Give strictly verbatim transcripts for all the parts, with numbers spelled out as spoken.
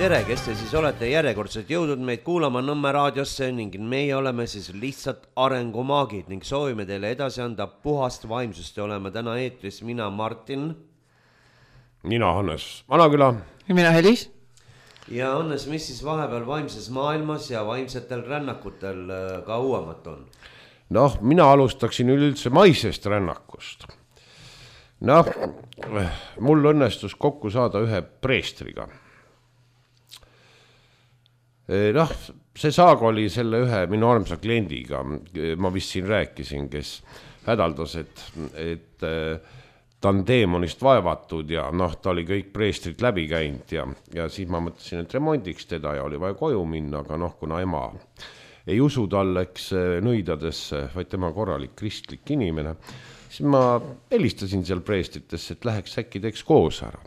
Tere, kes te siis olete järjekordselt jõudnud meid kuulama Nõmme raadiosse ning meie oleme siis lihtsalt arengumaagid ning soovime teile edasi anda puhast vaimsust ja oleme täna eetris mina Martin. Mina Hannes Vanaküla. Ja mina Helis. Ja Hannes, mis siis vahepeal vaimses maailmas ja vaimsetel rännakutel ka uuemat on? Noh, mina alustaksin üleüldse maisest rännakust. Noh, mul õnnestus kokku saada ühe preestriga. Noh, see saag oli selle ühe minu armsa kliendiga, ma vist siin rääkisin, kes hädaldas, et, et ta on deemonist vaevatud ja noh, ta oli kõik preestrid läbi käinud ja, ja siis ma mõtlesin, et remondiks teda ja oli vaja koju minna, aga noh, kuna ema ei usu talleks nõidadesse, vaid tema korralik kristlik inimene, siis ma helistasin seal preestritesse, et läheks äkki teeks koos ära.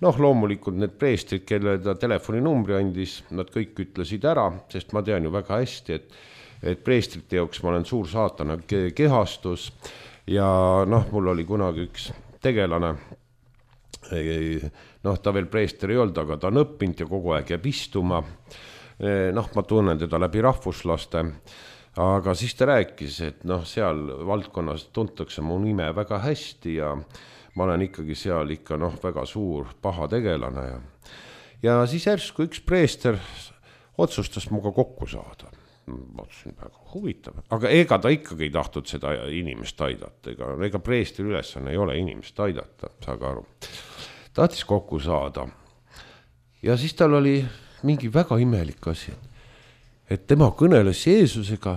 Noh, loomulikult need preestrid, kelle ta telefoninumbri andis, nad kõik ütlesid ära, sest ma tean ju väga hästi, et, et preestrite jooks ma olen suur saatana kehastus ja noh, mul oli kunagi üks tegelane, noh, ta veel preester ei olnud, aga ta on õppinud ja kogu aeg jääb istuma. Noh, ma tunnen teda läbi rahvuslaste, aga siis ta rääkis, et noh, seal valdkonnas tuntakse mu nime väga hästi ja ma olen ikkagi seal ikka noh, väga suur paha tegelane. Ja, ja siis järsku üks preester otsustas muga kokku saada. Ma otsusin väga huvitav, aga ega ta ikkagi ei tahtnud seda inimest aidata, ega, ega preestri ülesanne ei ole inimest aidata, saage aru. Tahtis kokku saada ja siis tal oli mingi väga imelik asi, et tema kõneles Jeesusega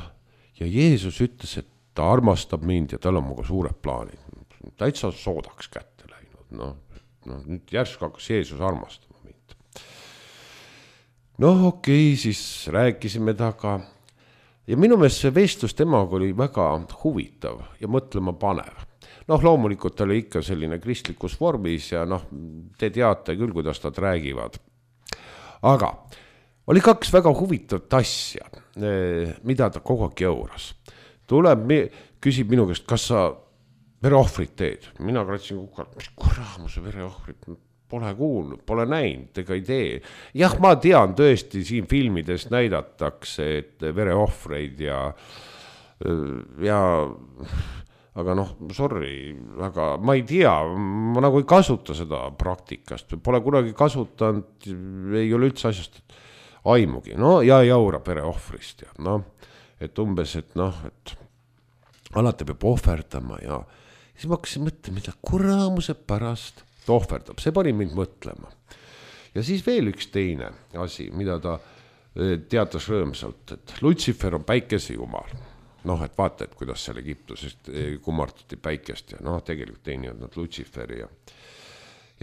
ja Jeesus ütles, et ta armastab mind ja tal on muga suured plaanid. Täitsa soodaks kätte läinud, no, no nüüd järsku hakkas Jeesus armastama mind. Noh, okei, okay, siis rääkisime taga ja minu meelest see vestlus temaga oli väga huvitav ja mõtlema panev. Noh, loomulikult oli ikka selline kristlikus vormis ja noh, te teate küll, kuidas nad räägivad. Aga oli kaks väga huvitavat asja, mida ta kogu aeg jõuras. Tuleb, küsib minu käest, kas sa vereohvrit teed. Mina kratsin kukalt, mis kuramuse vereohvrit, pole kuulnud, pole näinud, ega ei tee. Jah, ma tean tõesti, siin filmides näidatakse, et vereohvreid ja, ja aga noh, sorry, aga ma ei tea, ma nagu ei kasuta seda praktikast, pole kunagi kasutanud, ei ole üldse asjast aimugi, no ja jaura vereohvrist ja noh, et umbes, et noh, et alati peab ohverdama ja siis ma hakkasin mõtlema, mida kuramuse pärast ta ohverdab. See pani mind mõtlema. Ja siis veel üks teine asi, mida ta teatas rõõmsalt, et Lutsifer on päikese jumal. Noh, et vaata, et kuidas seal Egiptusest kummartuti päikest ja noh, tegelikult ei nii olnud Lutsiferi. Ja,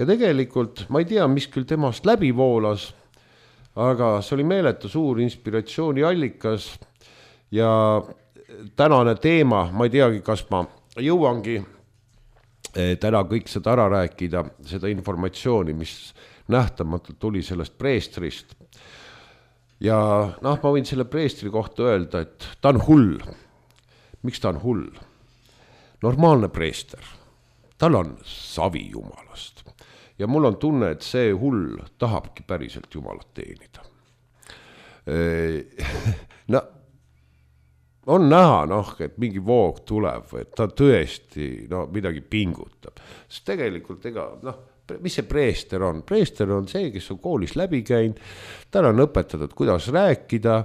ja tegelikult ma ei tea, mis küll temast läbi voolas, aga see oli meeletu suur inspiratsiooni allikas ja tänane teema, ma ei teagi, kas ma jõuangi täna kõik seda ära rääkida, seda informatsiooni, mis nähtamatult tuli sellest preestrist. Ja noh, ma võin selle preestri kohta öelda, et ta on hull. Miks ta on hull? Normaalne preester. Tal on savi jumalast. Ja mul on tunne, et see hull tahabki päriselt jumalat teenida. No, on näha, noh, et mingi voog tuleb, et ta tõesti no, midagi pingutab. Sest tegelikult, ega, noh, mis see preester on? Preester on see, kes on koolis läbi käinud, tal on õpetatud, kuidas rääkida,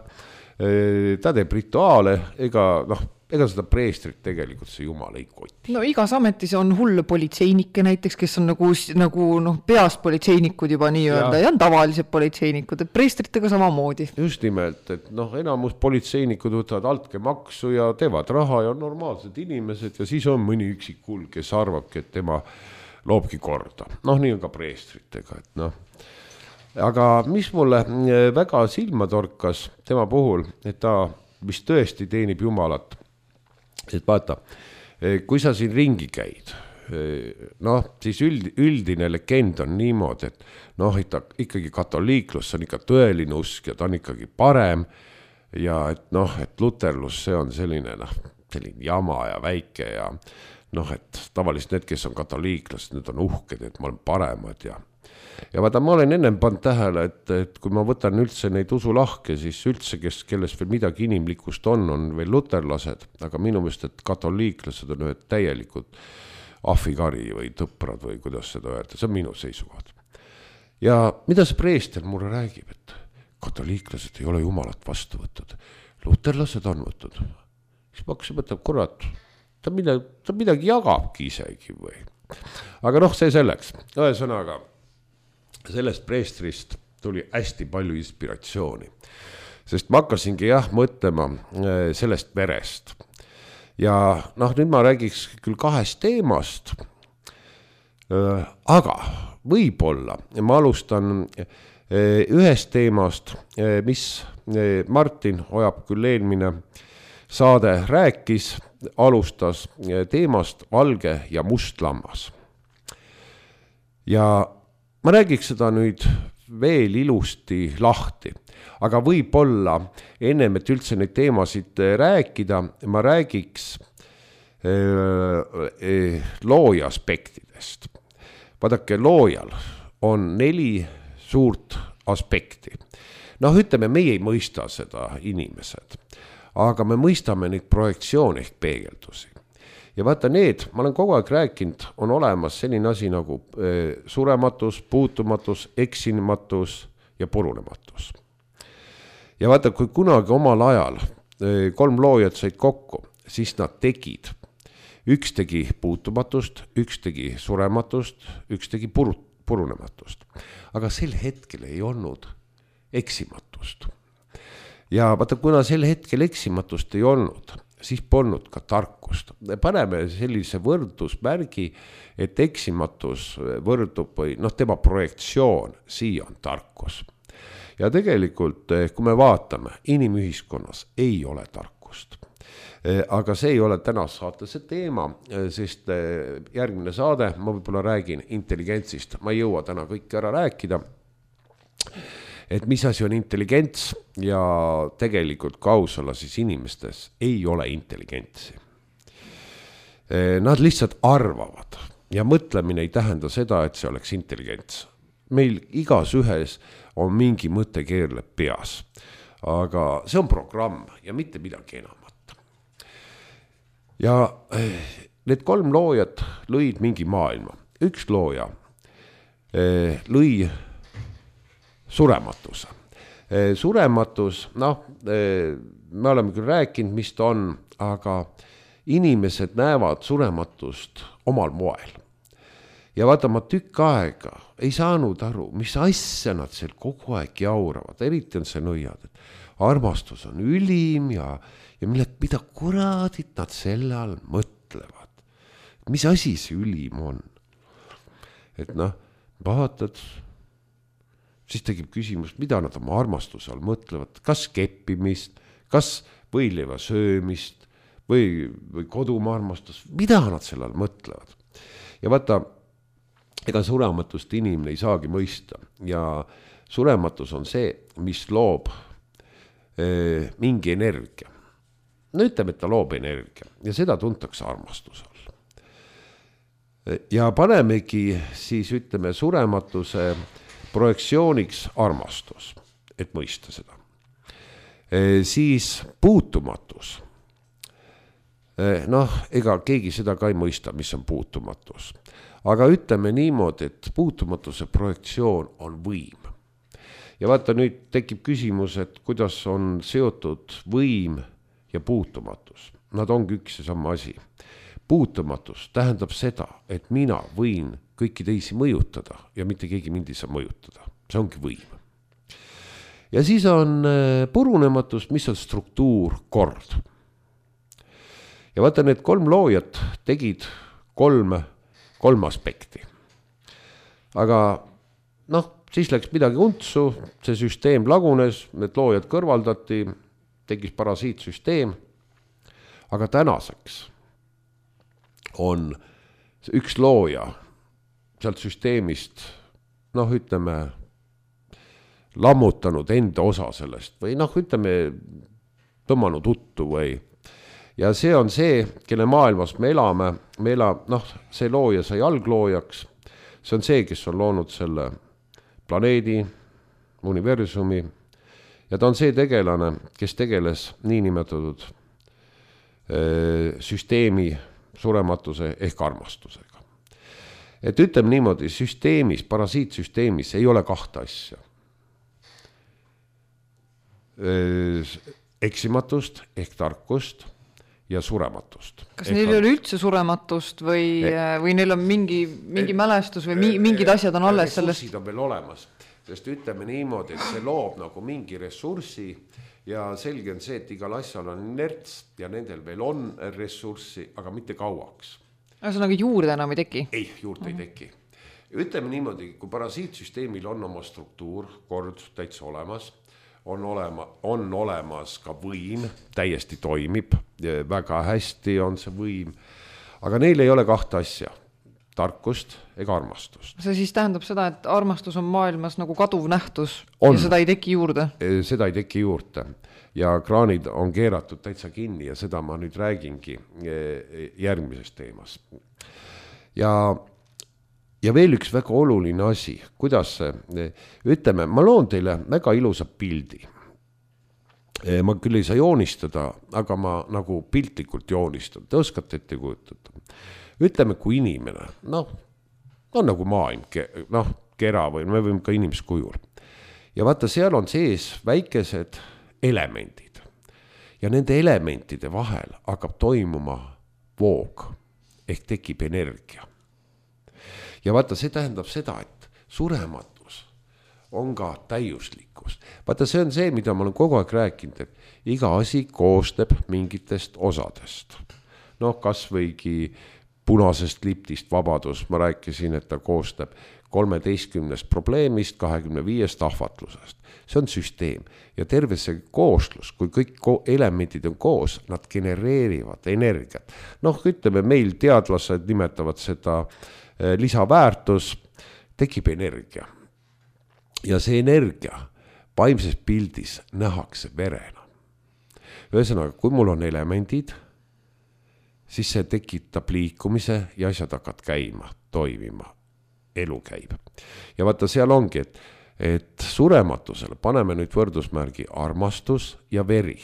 ta teeb rituaale, ega, noh, ega seda preestrit tegelikult see jumal ei koti. No igas ametis on hull politseinikke näiteks, kes on nagu, nagu noh, peas politseinikud juba nii öelda ja on tavalised politseinikud, et preestritega samamoodi. Just nimelt, et noh, enamus politseinikud võtavad altke maksu ja teevad raha ja on normaalsed inimesed ja siis on mõni üksik hull, kes arvabki, et tema loobki korda. Noh, nii on ka preestritega, et noh. Aga mis mulle väga silma torkas tema puhul, et ta vist tõesti teenib jumalat, et vaata, kui sa siin ringi käid, noh, siis üld, üldine legend on niimoodi, et noh, et ta ikkagi katoliiklus, see on ikka tõeline usk ja ta on ikkagi parem ja et noh, et luterlus, see on selline, noh, selline jama ja väike ja noh, et tavaliselt need, kes on katoliiklased, need on uhked, et ma olen paremad ja ja vaata, ma olen ennem pannud tähele, et, et kui ma võtan üldse neid usulahke, siis üldse, kes, kelles veel midagi inimlikust on, on veel luterlased, aga minu meelest, et katoliiklased on ühed täielikult ahvikari või tõprad või kuidas seda öelda, see on minu seisukohad. Ja mida see preester mulle räägib, et katoliiklased ei ole jumalat vastu võtnud, luterlased on võtnud. Siis ma hakkasin mõtlema, kurat, ta midagi, ta midagi jagabki isegi või. Aga noh, see selleks. Ühesõnaga, sellest preestrist tuli hästi palju inspiratsiooni, sest ma hakkasingi jah mõtlema sellest verest. Ja noh, nüüd ma räägiks küll kahest teemast, aga võib-olla ma alustan ühest teemast, mis Martin Ojap küll eelmine saade rääkis, alustas teemast valge ja must lammas. Ja ma räägiks seda nüüd veel ilusti lahti, aga võib-olla ennem, et üldse neid teemasid rääkida, ma räägiks looja aspektidest. Vaadake, loojal on neli suurt aspekti. Noh, ütleme, meie ei mõista seda inimesed, aga me mõistame neid projektsioone ehk peegeldusi. Ja vaata need, ma olen kogu aeg rääkinud, on olemas selline asi nagu surematus, puutumatus, eksimatus ja purunematus. Ja vaata, kui kunagi omal ajal kolm loojat said kokku, siis nad tegid. Üks tegi puutumatust, üks tegi surematust, üks tegi purunematust. Aga sel hetkel ei olnud eksimatust. Ja vaata, kuna sel hetkel eksimatust ei olnud, siis polnud ka tarkust. Paneme sellise võrdusmärgi, et eksimatus võrdub või noh, tema projektsioon, siia on tarkus. Ja tegelikult, kui me vaatame, inimühiskonnas ei ole tarkust. Aga see ei ole täna saatese teema, sest järgmine saade, ma võib-olla räägin intelligentsist, ma ei jõua täna kõik ära rääkida, et mis asi on intelligents ja tegelikult kausala siis inimestes ei ole intelligentsi. Nad lihtsalt arvavad ja mõtlemine ei tähenda seda, et see oleks intelligents. Meil igas ühes on mingi mõte keerleb peas, aga see on programm ja mitte midagi enamat. Ja need kolm loojat lõid mingi maailma. Üks looja lõi surematuse. Surematus, noh, me oleme küll rääkinud, mis ta on, aga inimesed näevad surematust omal moel. Ja vaata, ma tükk aega ei saanud aru, mis asja nad seal kogu aeg jauravad, eriti on see nõiad, et armastus on ülim ja, ja mille, mida kuradit nad selle all mõtlevad. Mis asi see ülim on? Et noh, vaatad, siis tegib küsimus, mida nad oma armastuse all mõtlevad, kas keppimist, kas võileiva söömist või, või kodumaa armastus, mida nad selle all mõtlevad. Ja vaata, ega surematust inimene ei saagi mõista ja surematus on see, mis loob eh, mingi energia. No ütleme, et ta loob energia ja seda tuntakse armastuse all. Ja panemegi siis ütleme surematuse projektsiooniks armastus, et mõista seda. E, siis puutumatus. E, noh, ega keegi seda ka ei mõista, mis on puutumatus. Aga ütleme niimoodi, et puutumatuse projektsioon on võim. Ja vaata, nüüd tekib küsimus, et kuidas on seotud võim ja puutumatus. Nad ongi üks ja sama asi. Puutumatus tähendab seda, et mina võin kõiki teisi mõjutada ja mitte keegi mind ei saa mõjutada. See ongi võim. Ja siis on purunematus, mis on struktuur, kord. Ja vaata, need kolm loojat tegid kolm, kolm aspekti. Aga noh, siis läks midagi untsu, see süsteem lagunes, need loojad kõrvaldati, tegis parasiitsüsteem. Aga tänaseks on üks looja sealt süsteemist, noh, ütleme, lammutanud enda osa sellest või noh, ütleme, tõmmanud uttu või. Ja see on see, kelle maailmas me elame, me elame, noh, see looja sai algloojaks, see on see, kes on loonud selle planeedi, universumi ja ta on see tegelane, kes tegeles niinimetatud süsteemi surematuse ehk armastusega. Et ütleme niimoodi, süsteemis, parasiitsüsteemis ei ole kahte asja. Eksimatust ehk tarkust ja surematust. Kas neil ei ole üldse surematust või, või neil on mingi, mingi mälestus või mingid asjad on alles sellest? Ressursid on veel olemas, sest ütleme niimoodi, et see loob nagu mingi ressurssi ja selge on see, et igal asjal on inerts ja nendel veel on ressurssi, aga mitte kauaks. Ühesõnaga juurde enam ei teki? Ei, juurde ei teki. Ütleme niimoodi, kui parasiitsüsteemil on oma struktuur, kord täitsa olemas, on, olema, on olemas ka võim, täiesti toimib, väga hästi on see võim, aga neil ei ole kahte asja, tarkust ega armastust. See siis tähendab seda, et armastus on maailmas nagu kaduv nähtus on. Ja seda ei teki juurde? Seda ei teki juurde ja kraanid on keeratud täitsa kinni ja seda ma nüüd räägingi järgmises teemas. Ja Ja veel üks väga oluline asi, kuidas see, ütleme, ma loon teile väga ilusa pildi. Ma küll ei saa joonistada, aga ma nagu piltlikult joonistan. Te oskate ette kujutada. Ütleme, kui inimene, noh, on nagu maailm, noh, kera või me võime ka inimskujul. Ja vaata, seal on sees väikesed elemendid. Ja nende elementide vahel hakkab toimuma voog ehk tekib energia. Ja vaata, see tähendab seda, et surematus on ka täiuslikkus. Vaata, see on see, mida ma olen kogu aeg rääkinud, et iga asi koosneb mingitest osadest. Noh, kas võigi punasest liptist vabadus, ma rääkisin, et ta koosneb kolmeteistkümnest probleemist, kahekümne viiest ahvatlusest. See on süsteem ja terve see kooslus, kui kõik elemendid on koos, nad genereerivad energiat. Noh, ütleme, meil teadlased nimetavad seda lisaväärtus, tekib energia. Ja see energia vaimses pildis nähakse verena. Ühesõnaga, kui mul on elemendid, siis see tekitab liikumise ja asjad hakkad käima, toimima, elu käib. Ja vaata, seal ongi, et, et surematusele paneme nüüd võrdusmärgi armastus ja veri.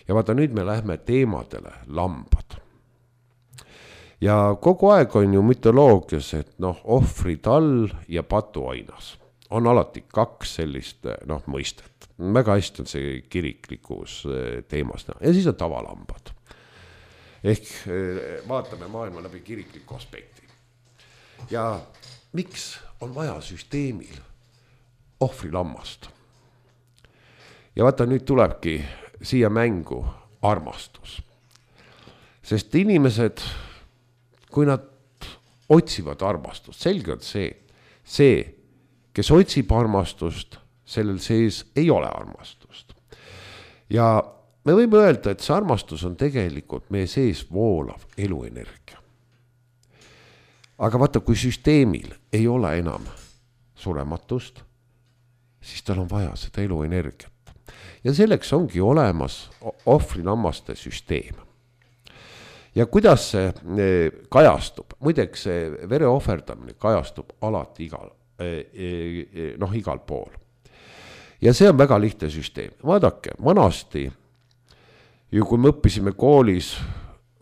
Ja vaata, nüüd me lähme teemadele lambad. Ja kogu aeg on ju mütoloogias, et noh, ohvritall ja patuainas on alati kaks sellist noh, mõistet. Väga hästi on see kiriklikus teemas. Ja siis on tavalambad. Ehk vaatame maailma läbi kirikliku aspekti. Ja miks on vaja süsteemil ohvrilammast? Ja vaata, nüüd tulebki siia mängu armastus. Sest inimesed, kui nad otsivad armastust, selge on see, see, kes otsib armastust, sellel sees ei ole armastust. Ja me võime öelda, et see armastus on tegelikult meie sees voolav eluenergia. Aga vaata, kui süsteemil ei ole enam surematust, siis tal on vaja seda eluenergiat. Ja selleks ongi olemas ohvrilammaste süsteem. Ja kuidas see kajastub? Muideks see vere ohverdamine kajastub alati igal, noh, igal pool. Ja see on väga lihtne süsteem. Vaadake, vanasti, ju kui me õppisime koolis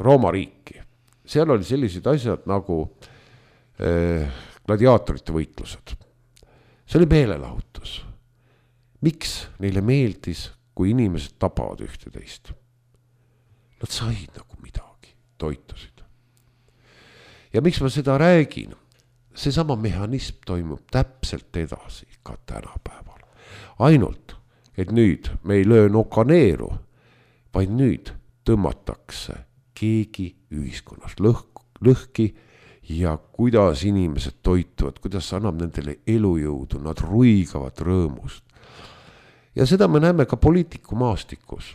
Rooma riiki, seal oli sellised asjad nagu eh, gladiaatorite võitlused. See oli meelelahutus. Miks neile meeldis, kui inimesed tapavad ühte teist? Nad said nagu midagi. Toitusid. Ja miks ma seda räägin? See sama mehhanism toimub täpselt edasi ka tänapäeval. Ainult, et nüüd me ei löö nokaneeru, vaid nüüd tõmmatakse keegi ühiskonnas lõhk, lõhki ja kuidas inimesed toituvad, kuidas annab nendele elujõudu, nad ruigavad rõõmust. Ja seda me näeme ka poliitiku maastikus.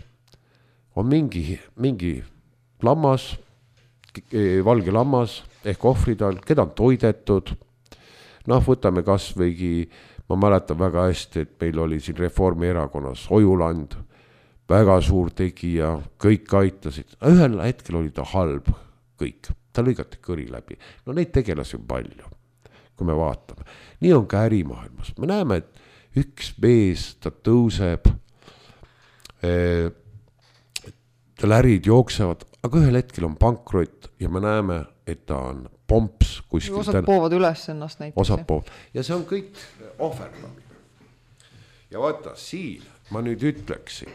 On mingi, mingi lammas, valge lammas ehk ohvridal, keda on toidetud. Noh, võtame kas võigi, ma mäletan väga hästi, et meil oli siin Reformierakonnas Ojuland, väga suur tegija, kõik aitasid. Ühel hetkel oli ta halb kõik, ta lõigati kõri läbi. No neid tegelasi on palju. kui me vaatame. Nii on ka ärimaailmas. Me näeme, et üks mees, ta tõuseb, tal ärid jooksevad, aga ühel hetkel on pankrot ja me näeme, et ta on pomps kuskil. Osad poovad üles ennast näiteks. Osad poovad. Ja see on kõik ohverdamine. Ja vaata, siin ma nüüd ütleksin.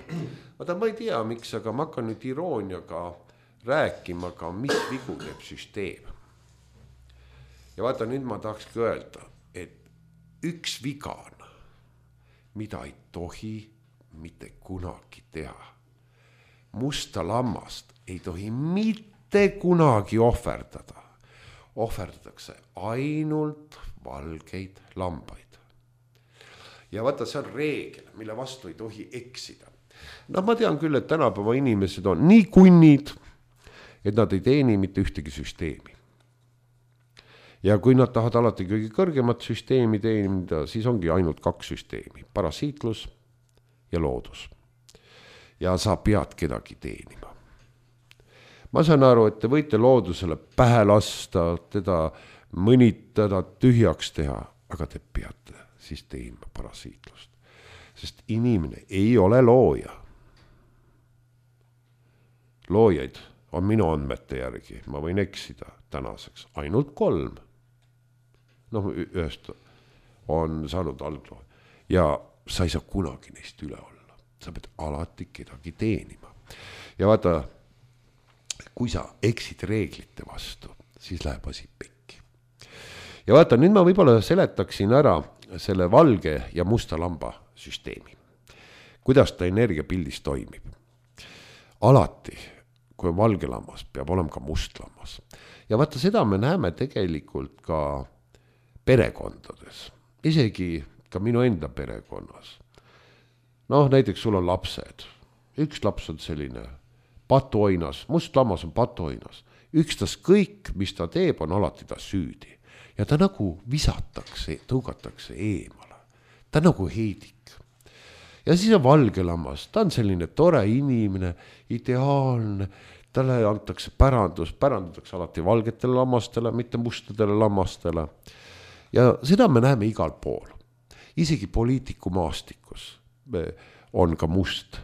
Vaata, ma ei tea, miks, aga ma hakkan nüüd irooniaga rääkima ka, mis vigu teeb süsteem. Ja vaata, nüüd ma tahakski öelda, et üks viga on, mida ei tohi mitte kunagi teha. Musta lammast ei tohi mitte kunagi ohverdada. Ohverdatakse ainult valgeid lambaid. Ja vaata, see on reegel, mille vastu ei tohi eksida. No ma tean küll, et tänapäeva inimesed on nii kunnid, et nad ei teeni mitte ühtegi süsteemi. Ja kui nad tahavad alati kõige kõrgemat süsteemi teenida, siis ongi ainult kaks süsteemi, parasiitlus ja loodus. Ja sa pead kedagi teenima. Ma saan aru, et te võite loodusele pähe lasta, teda mõnitada, tühjaks teha, aga te peate siis teenima parasiitlust. Sest inimene ei ole looja. Loojaid on minu andmete järgi, ma võin eksida tänaseks, ainult kolm. Noh, ühest on saanud algloo. Ja sa ei saa kunagi neist üle olla. Sa pead alati kedagi teenima. Ja vaata, kui sa eksid reeglite vastu, siis läheb asi pekki. Ja vaata, nüüd ma võib-olla seletaksin ära selle valge ja musta lamba süsteemi. Kuidas ta energiapildis toimib. Alati, kui on valge lammas, peab olema ka must lammas. Ja vaata, seda me näeme tegelikult ka perekondades. Isegi ka minu enda perekonnas. Noh, näiteks sul on lapsed. Üks laps on selline patuoinas, must lammas on patuoinas. Ükstas kõik, mis ta teeb, on alati ta süüdi. Ja ta nagu visatakse, tõugatakse eemale. Ta nagu heidik. Ja siis on valge lammas. Ta on selline tore inimene, ideaalne. Talle antakse pärandus, pärandatakse alati valgetele lammastele, mitte mustadele lammastele. Ja seda me näeme igal pool. Isegi poliitiku maastikus on ka must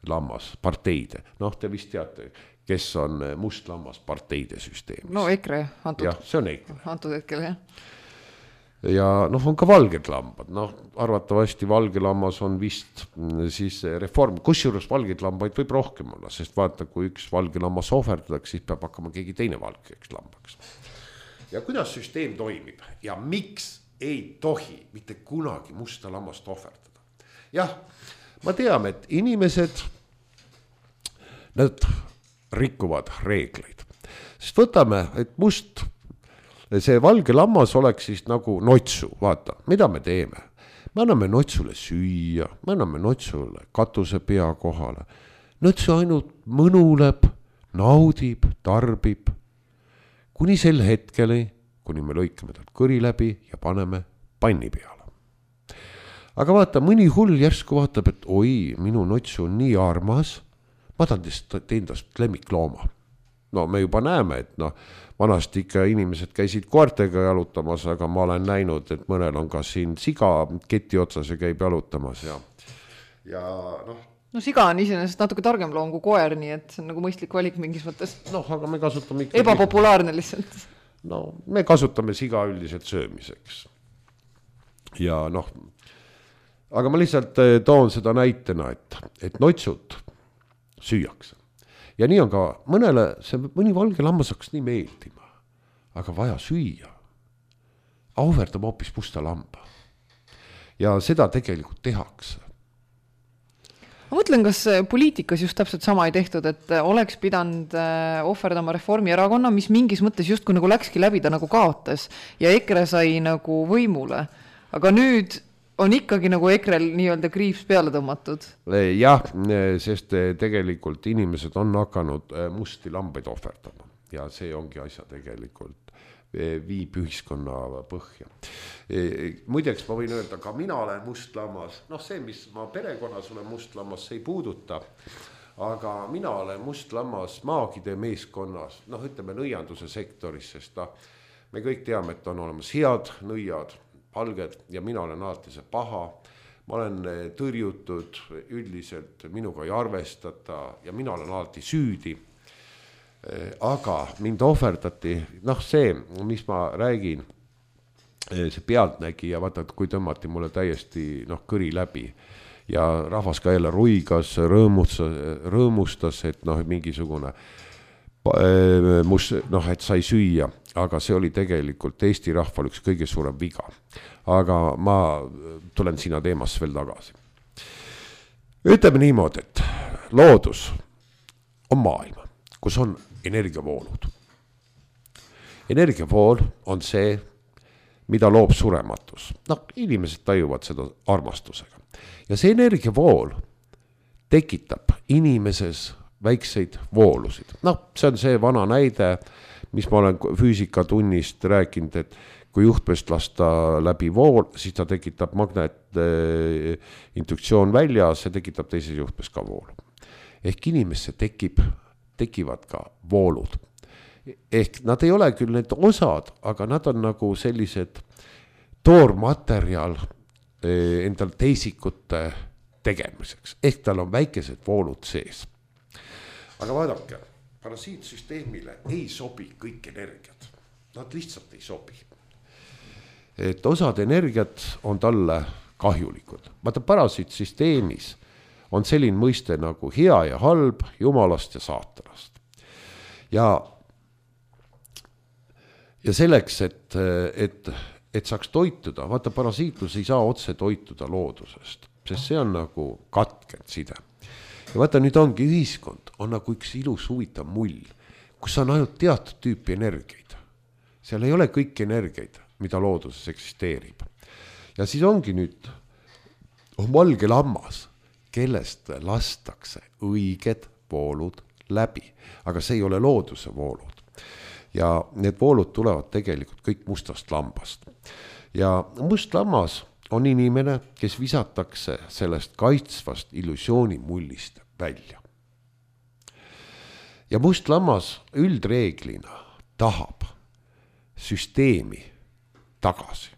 lammas parteide. Noh, te vist teate, kes on must lammas parteide süsteemis. No EKRE antud. Jah, see on EKRE. Antud hetkel, jah. Ja noh, on ka valged lambad. Noh, arvatavasti valge lammas on vist siis reform. Kusjuures valgeid lambaid võib rohkem olla, sest vaata, kui üks valge lammas ohverdatakse, siis peab hakkama keegi teine valgeks lambaks. Ja kuidas süsteem toimib ja miks ei tohi mitte kunagi musta lammast ohverdada. Jah, ma tean, et inimesed, nad rikuvad reegleid. Sest võtame, et must, see valge lammas oleks siis nagu notsu, vaata, mida me teeme. Me anname notsule süüa, me anname notsule katuse pea kohale. Notsu ainult mõnuleb, naudib, tarbib, kuni sel hetkeli, kuni me lõikame talt kõri läbi ja paneme panni peale. Aga vaata, mõni hull järsku vaatab, et oi, minu notsu on nii armas, ma tahan tendast lemmiklooma. No me juba näeme, et no, vanasti ikka inimesed käisid koertega jalutamas, aga ma olen näinud, et mõnel on ka siin siga keti otsas ja käib jalutamas. Ja, ja noh, No siga on iseenesest natuke targem loom kui koer, nii et see on nagu mõistlik valik mingis mõttes. Noh, aga me kasutame ikkagi... Ebapopulaarne lihtsalt. No, me kasutame siga üldiselt söömiseks. Ja noh, aga ma lihtsalt toon seda näitena, et, et notsud süüakse. Ja nii on ka mõnele, see mõni valge lammas hakkas nii meeldima, aga vaja süüa. Ahverdame hoopis musta lamba. Ja seda tegelikult tehakse. Ma mõtlen, kas poliitikas just täpselt sama ei tehtud, et oleks pidanud ohverdama Reformierakonna, mis mingis mõttes just kui nagu läkski läbi, ta nagu kaotas ja EKRE sai nagu võimule. Aga nüüd on ikkagi nagu EKRel nii-öelda kriips peale tõmmatud. Jah, sest tegelikult inimesed on hakanud musti lambaid ohverdama ja see ongi asja tegelikult viib ühiskonna põhja. Muideks ma võin öelda, ka mina olen must lammas. Noh, see, mis ma perekonnas olen must lammas, see ei puuduta. Aga mina olen must lammas maagide meeskonnas, noh, ütleme nõianduse sektoris, sest ta, me kõik teame, et on olemas head nõiad, palged ja mina olen alati see paha. Ma olen tõrjutud, üldiselt minuga ei arvestata ja mina olen alati süüdi. Aga mind ohverdati, noh see, mis ma räägin, see pealtnägija, vaata, kui tõmmati mulle täiesti noh, kõri läbi ja rahvas ka jälle ruigas, rõõmustas, rõõmustas, et noh, mingisugune mus, noh, et sai süüa, aga see oli tegelikult Eesti rahval üks kõige suurem viga. Aga ma tulen sinna teemasse veel tagasi. Ütleme niimoodi, et loodus on maailm, kus on energiavoolud. Energiavool on see, mida loob surematus. Noh, inimesed tajuvad seda armastusega. Ja see energiavool tekitab inimeses väikseid voolusid. Noh, see on see vana näide, mis ma olen füüsikatunnist rääkinud, et kui juhtmest lasta läbi vool, siis ta tekitab magnet äh, induktsioon välja, see tekitab teises juhtmest ka voolu. Ehk inimesse tekib, tekivad ka voolud. Ehk nad ei ole küll need osad, aga nad on nagu sellised toormaterjal äh, endal teisikute tegemiseks. Ehk tal on väikesed voolud sees. Aga vaadake, parasiitsüsteemile ei sobi kõik energiat. Nad lihtsalt ei sobi. Et osad energiat on talle kahjulikud. Vaata, parasiitsüsteemis on selline mõiste nagu hea ja halb, jumalast ja saatanast. Ja, ja selleks, et, et, et saaks toituda, vaata, parasiitlus ei saa otse toituda loodusest, sest see on nagu katkend side. Ja vaata, nüüd ongi ühiskond, on nagu üks ilus huvitav mull, kus on ainult teatud tüüpi energiaid. Seal ei ole kõik energiaid, mida looduses eksisteerib. Ja siis ongi nüüd on valge lammas, kellest lastakse õiged voolud läbi. Aga see ei ole looduse voolud. Ja need voolud tulevad tegelikult kõik mustast lambast. Ja must lammas on inimene, kes visatakse sellest kaitsvast illusioonimullist välja. Ja must lammas üldreeglina tahab süsteemi tagasi.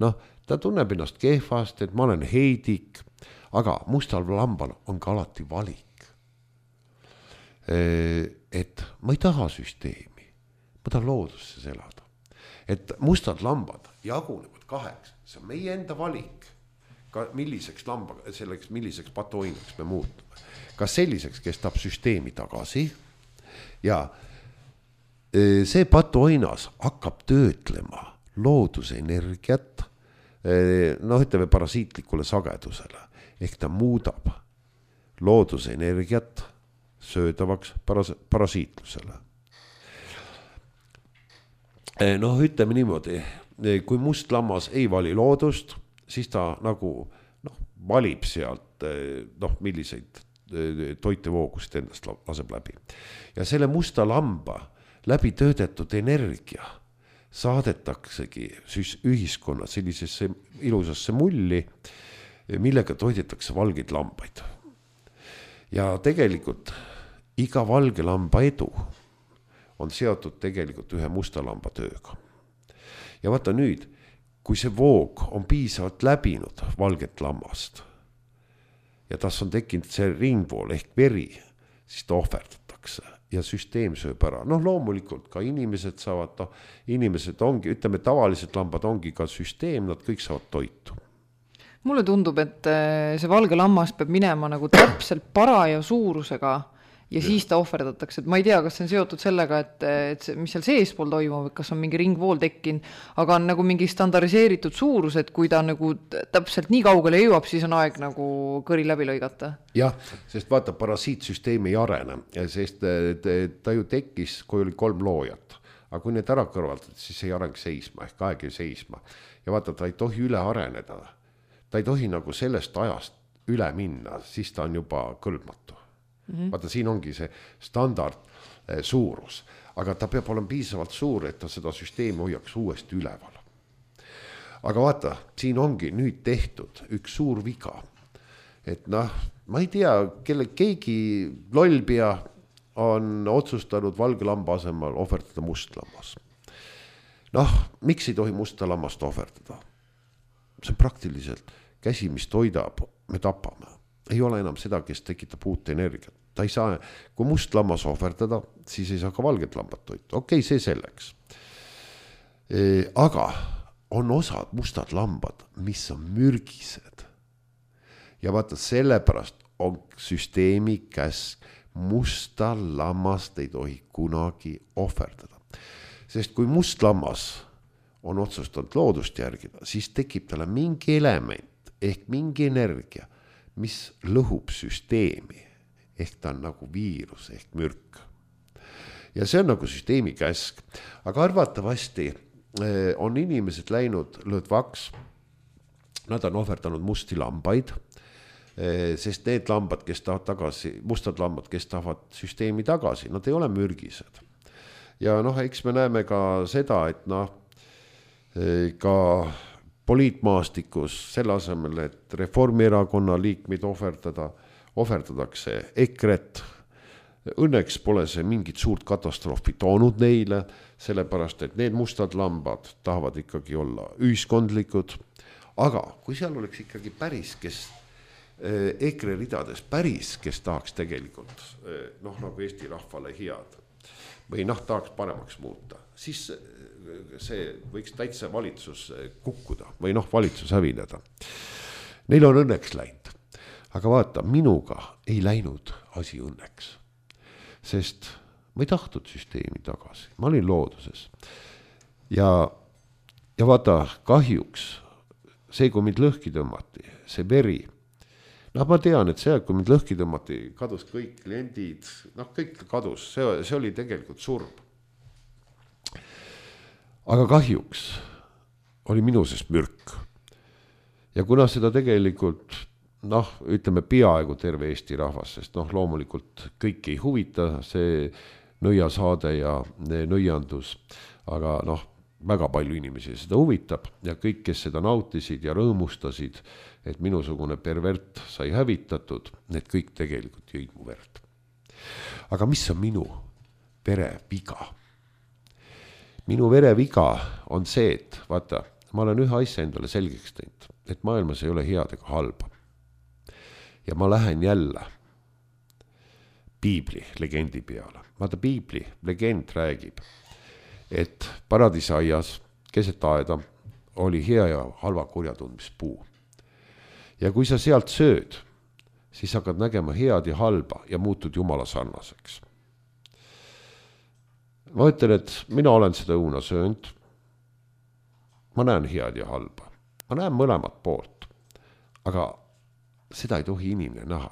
Noh, ta tunneb ennast kehvast, et ma olen heidik, aga mustal lambal on ka alati valik. Et ma ei taha süsteemi, ma tahan looduses elada. Et mustad lambad jagunevad kaheks, see on meie enda valik, ka milliseks lamba, selleks, milliseks patoinaks me muutume. Kas selliseks, kes tahab süsteemi tagasi ja see patoinas hakkab töötlema looduse energiat, noh, ütleme parasiitlikule sagedusele, ehk ta muudab looduse energiat söödavaks paras- parasiitlusele. Noh, ütleme niimoodi, kui must lammas ei vali loodust, siis ta nagu noh, valib sealt noh, milliseid toitevoogusid endast laseb läbi. Ja selle musta lamba läbi töödetud energia saadetaksegi ühiskonna sellisesse ilusasse mulli, millega toidetakse valgeid lambaid. Ja tegelikult iga valge lamba edu on seotud tegelikult ühe musta lamba tööga. Ja vaata nüüd, kui see voog on piisavalt läbinud valget lammast ja tas on tekkinud see ringvool ehk veri, siis ta ohverdatakse. Ja süsteem sööb ära. Noh, loomulikult ka inimesed saavad, no, inimesed ongi, ütleme, tavalised lambad ongi ka süsteem, nad kõik saavad toitu. Mulle tundub, et see valge lammas peab minema nagu täpselt paraja suurusega ja siis ta ohverdatakse. Et ma ei tea, kas see on seotud sellega, et, et see, mis seal seespool toimub, kas on mingi ringvool tekkinud, aga on nagu mingi standardiseeritud suurus, et kui ta nagu täpselt nii kaugele jõuab, siis on aeg nagu kõri läbi lõigata. Jah, sest vaata, parasiitsüsteem ei arene, sest ta ju tekkis, kui oli kolm loojat. Aga kui need ära kõrvaldad, siis ei areng seisma, ehk aeg ei seisma. Ja vaata, ta ei tohi üle areneda. Ta ei tohi nagu sellest ajast üle minna, siis ta on juba kõlbmatu. Mm-hmm. Vaata, siin ongi see standard suurus, aga ta peab olema piisavalt suur, et ta seda süsteemi hoiaks uuesti üleval. Aga vaata, siin ongi nüüd tehtud üks suur viga, et noh, ma ei tea, kelle keegi lollpea on otsustanud valge lamba asemel ohverdada must lammas. noh, miks ei tohi musta lammast ohverdada? See on praktiliselt käsi, mis toidab, me tapame. Ei ole enam seda, kes tekitab uut energiat. Ta ei saa, kui must lammas ohverdada, siis ei saa ka valget lambat toita. Okei, okay, see selleks. E, aga on osad mustad lambad, mis on mürgised. Ja vaata, sellepärast on süsteemi käsk, musta lammast ei tohi kunagi ohverdada. Sest kui must lammas on otsustanud loodust järgida, siis tekib talle mingi element ehk mingi energia, mis lõhub süsteemi. Ehk ta on nagu viirus ehk mürk. Ja see on nagu süsteemi käsk. Aga arvatavasti on inimesed läinud lõdvaks, nad on ohverdanud musti lambaid, sest need lambad, kes tahavad tagasi, mustad lambad, kes tahavad süsteemi tagasi, nad ei ole mürgised. Ja noh, eks me näeme ka seda, et noh, ka poliitmaastikus selle asemel, et Reformierakonna liikmeid ohverdada, ohverdadakse EKRE-t. Õnneks pole see mingit suurt katastroofi toonud neile, sellepärast, et need mustad lambad tahavad ikkagi olla ühiskondlikud. Aga kui seal oleks ikkagi päris, kes EKRE ridades päris, kes tahaks tegelikult noh, nagu Eesti rahvale head või noh, tahaks paremaks muuta, siis see võiks täitsa valitsus kukkuda või noh, valitsus hävineda. Neil on õnneks läinud. Aga vaata, minuga ei läinud asi õnneks, sest ma ei tahtnud süsteemi tagasi. Ma olin looduses. Ja, ja vaata, kahjuks see, kui mind lõhki tõmmati, see veri, noh, ma tean, et see, kui mind lõhki tõmmati, kadus kõik kliendid, noh, kõik kadus, see, see oli tegelikult surm. Aga kahjuks oli minu sees mürk. Ja kuna seda tegelikult, noh, ütleme peaaegu terve Eesti rahvas, sest noh, loomulikult kõik ei huvita see nõiasaade ja nõiandus, aga noh, väga palju inimesi seda huvitab ja kõik, kes seda nautisid ja rõõmustasid, et minusugune pervert sai hävitatud, need kõik tegelikult jõid mu verd. Aga mis on minu vereviga? Minu vereviga on see, et vaata, ma olen ühe asja endale selgeks teinud, et maailmas ei ole head ega halba. Ja ma lähen jälle piibli legendi peale. Vaata, piibli legend räägib, et paradiisaias keset aeda oli hea ja halva kurjatundmispuu. Ja kui sa sealt sööd, siis hakkad nägema head ja halba ja muutud jumala sarnaseks. Ma ütlen, et mina olen seda õuna söönud. Ma näen head ja halba. Ma näen mõlemat poolt. Aga seda ei tohi inimene näha.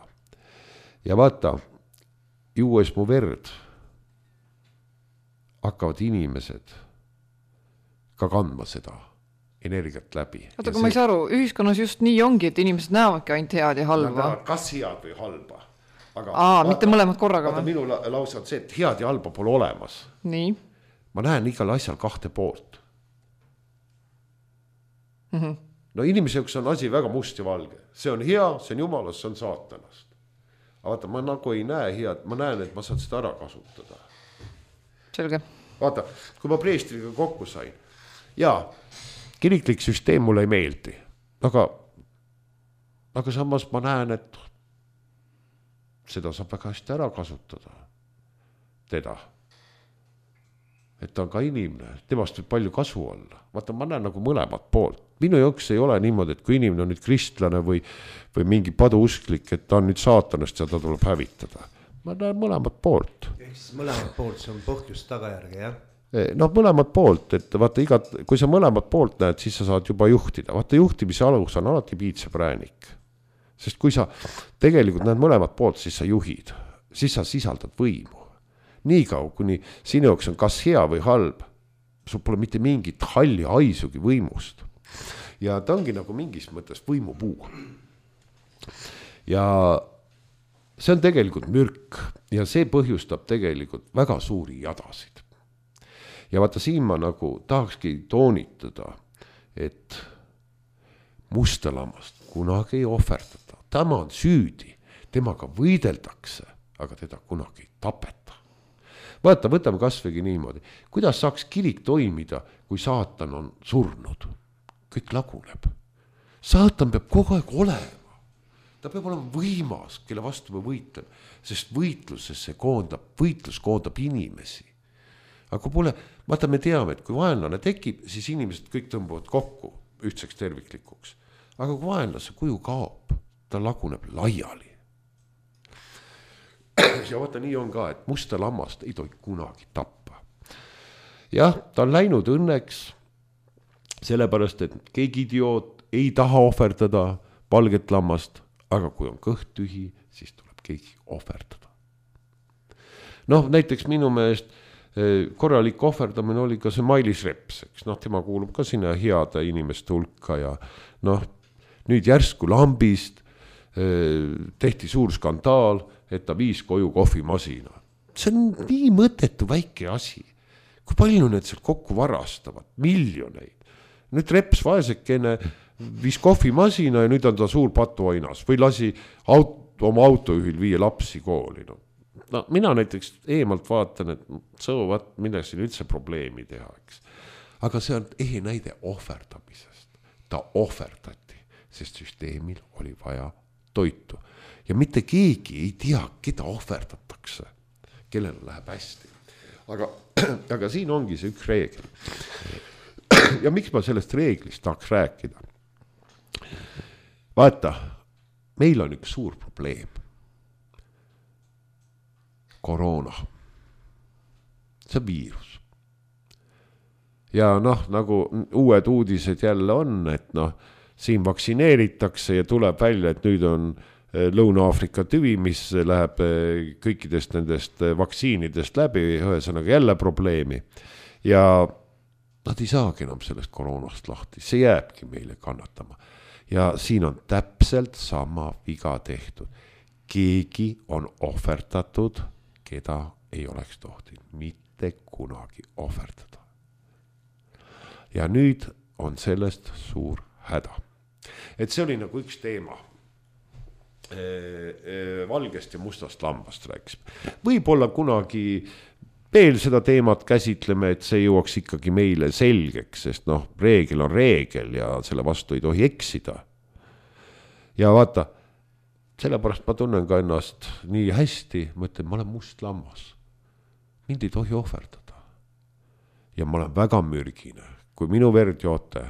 Ja vaata, juues mu verd hakkavad inimesed ka kandma seda energiat läbi. Oota, kui ma ei saa aru, ühiskonnas just nii ongi, et inimesed näevadki ainult head ja halba. Kas head või halba? Aga, Aa, vaata, mitte mõlemad korraga. Vaata, minu lause on see, et head ja halba pole olemas. Nii. Ma näen igal asjal kahte poolt. Mm-hmm. No inimese jaoks on asi väga must ja valge. See on hea, see on jumalast, see on saatanast. Aga vaata, ma nagu ei näe head, ma näen, et ma saan seda ära kasutada. Selge. Vaata, kui ma preestriga kokku sain, jaa, kiriklik süsteem mulle ei meeldi, aga, aga samas ma näen, et seda saab väga hästi ära kasutada, teda. Et ta on ka inimene, temast võib palju kasu olla. Vaata, ma näen nagu mõlemat poolt. Minu jaoks ei ole niimoodi, et kui inimene on nüüd kristlane või, või mingi paduusklik, et ta on nüüd saatanast ja ta tuleb hävitada. Ma näen mõlemat poolt. Ehk siis mõlemat poolt, see on põhjust tagajärgi, jah? Noh, mõlemat poolt, et vaata igat, kui sa mõlemat poolt näed, siis sa saad juba juhtida. Vaata, juhtimise alus on alati piitsa präänik. Sest kui sa tegelikult näed mõlemat poolt, siis sa juhid. Siis sa sisaldad võimu. Nii kaua, kuni sinu jaoks on kas hea või halb, sul pole mitte mingit halli haisugi võimust. Ja ta ongi nagu mingis mõttes võimupuu. Ja see on tegelikult mürk ja see põhjustab tegelikult väga suuri jadasid. Ja vaata, siin ma nagu tahakski toonitada, et musta lammast kunagi ei ohverdada. Tema on süüdi, temaga võideldakse, aga teda kunagi ei tapeta. vaata, võtame kasvõigi niimoodi. Kuidas saaks kirik toimida, kui saatan on surnud? Kõik laguneb. Saatan peab kogu aeg olema. Ta peab olema võimas, kelle vastu me võitleme, sest võitlusesse koondab, võitlus koondab inimesi. Aga kui pole, vaata me teame, et kui vaenlane tekib, siis inimesed kõik tõmbuvad kokku ühtseks terviklikuks. Aga kui vaenlase kuju kaob, ta laguneb laiali. Ja vaata, nii on ka, et musta lammast ei tohi kunagi tappa. Jah, ta on läinud õnneks, sellepärast, et keegi idioot ei taha ohverdada valget lammast, aga kui on kõht tühi, siis tuleb keegi ohverdada. Noh, näiteks minu meelest korralik ohverdamine oli ka see Mailis Reps, eks noh, tema kuulub ka sinna heade inimeste hulka ja noh, nüüd järsku lambist tehti suur skandaal, et ta viis koju kohvimasina. See on nii mõttetu väike asi. Kui palju need seal kokku varastavad? Miljoneid. Nüüd Reps vaesekene viis kohvimasina ja nüüd on ta suur patuainas või lasi aut- oma autojuhil viia lapsi kooli. No. No, mina näiteks eemalt vaatan, et sõuvat, mille siin üldse probleemi teha, eks. Aga see on ehe näide ohverdamisest. Ta ohverdati, sest süsteemil oli vaja toitu. Ja mitte keegi ei tea, keda ohverdatakse, kellel läheb hästi. Aga, aga siin ongi see üks reegel. Ja miks ma sellest reeglist tahaks rääkida? Vaata, meil on üks suur probleem. Koroona. See viirus. Ja noh, nagu uued uudised jälle on, et noh, siin vaktsineeritakse ja tuleb välja, et nüüd on Lõuna-Aafrika tüvi, mis läheb kõikidest nendest vaktsiinidest läbi, ühesõnaga jälle probleemi. Ja nad ei saagi enam sellest koroonast lahti, see jääbki meile kannatama. Ja siin on täpselt sama viga tehtud. Keegi on ohverdatud, keda ei oleks tohtinud mitte kunagi ohverdada. Ja nüüd on sellest suur häda. Et see oli nagu üks teema. Valgest ja mustast lambast rääkis. Võib-olla kunagi veel seda teemat käsitleme, et see jõuaks ikkagi meile selgeks, sest noh, reegel on reegel ja selle vastu ei tohi eksida. Ja vaata, sellepärast ma tunnen ka ennast nii hästi, ma ütlen, ma olen must lammas. Mind ei tohi ohverdada. Ja ma olen väga mürgine. Kui minu verd joote,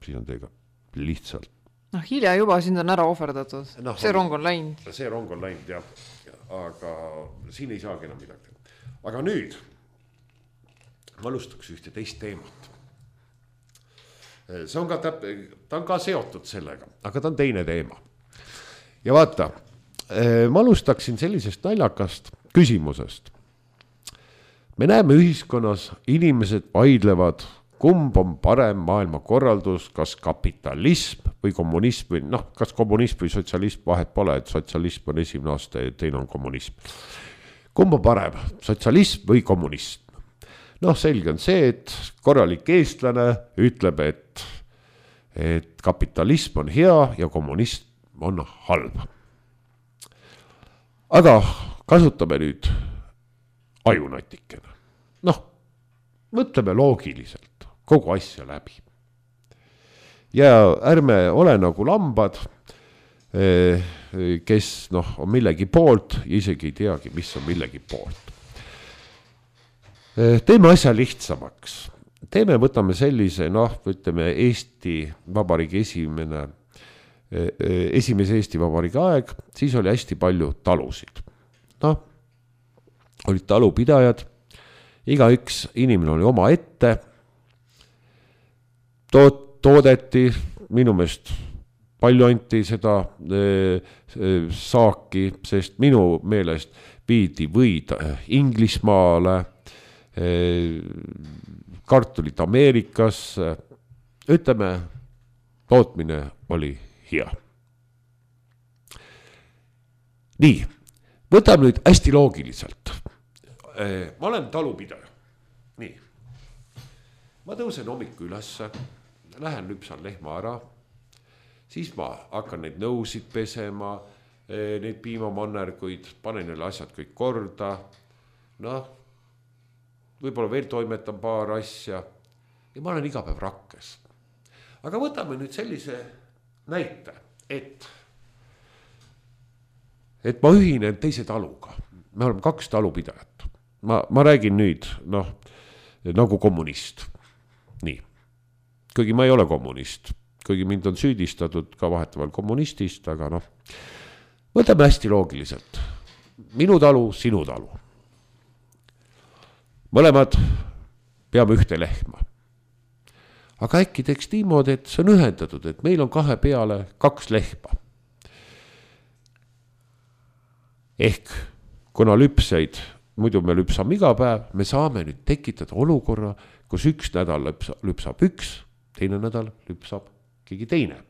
siis on teiega lihtsalt. Noh, hilja juba sind on ära ohverdatud. No, see rong on läinud. See rong on läinud, jah. Aga siin ei saagi enam midagi. Aga nüüd ma alustaks ühte teist teemat. See on ka, täp- ta on ka seotud sellega, aga ta on teine teema. Ja vaata, ma alustaksin sellisest naljakast küsimusest. Me näeme ühiskonnas, inimesed vaidlevad, kumb on parem maailmakorraldus, kas kapitalism või kommunism, või noh, kas kommunism või sotsialism, vahet pole, et sotsialism on esimene aasta ja teine on kommunism. Kumb on parem, sotsialism või kommunism? Noh, selge on see, et korralik eestlane ütleb, et, et kapitalism on hea ja kommunism on halb. Aga kasutame nüüd ajunatikene. Noh, mõtleme loogiliselt kogu asja läbi. Ja ärme ole nagu lambad, kes noh, on millegi poolt ja isegi ei teagi, mis on millegi poolt. Teeme asja lihtsamaks. Teeme, võtame sellise, noh, ütleme Eesti Vabariigi esimene esimese Eesti Vabariigi aeg, siis oli hästi palju talusid. Noh, olid talupidajad, iga üks inimene oli oma ette, toot, toodeti, minu meelest palju anti seda e, e, saaki, sest minu meelest viidi võid Inglismaale, e, kartulit Ameerikasse, ütleme, tootmine oli hea. Nii, võtame nüüd hästi loogiliselt. Ma olen talupidaja. Nii, ma tõusen hommiku ülesse, lähen lüpsan lehma ära, siis ma hakkan neid nõusid pesema, neid piimamannerguid, panen neile asjad kõik korda. Noh, võib-olla veel toimetan paar asja ja ma olen iga päev rakkes. Aga võtame nüüd sellise näite, et, et ma ühinen teise taluga. Me oleme kaks talupidajat. Ma, ma räägin nüüd, noh, nagu kommunist. Nii. Kuigi ma ei ole kommunist. Kuigi mind on süüdistatud ka vahetavalt kommunistist, aga noh, võtame hästi loogiliselt. Minu talu, sinu talu. Mõlemad peame ühte lehma. Aga äkki teeks niimoodi, et see on ühendatud, et meil on kahe peale kaks lehma. Ehk kuna lüpseid, muidu me lüpsame iga päev, me saame nüüd tekitada olukorra, kus üks nädal lüpsab, lüpsab üks, teine nädal lüpsab keegi teine.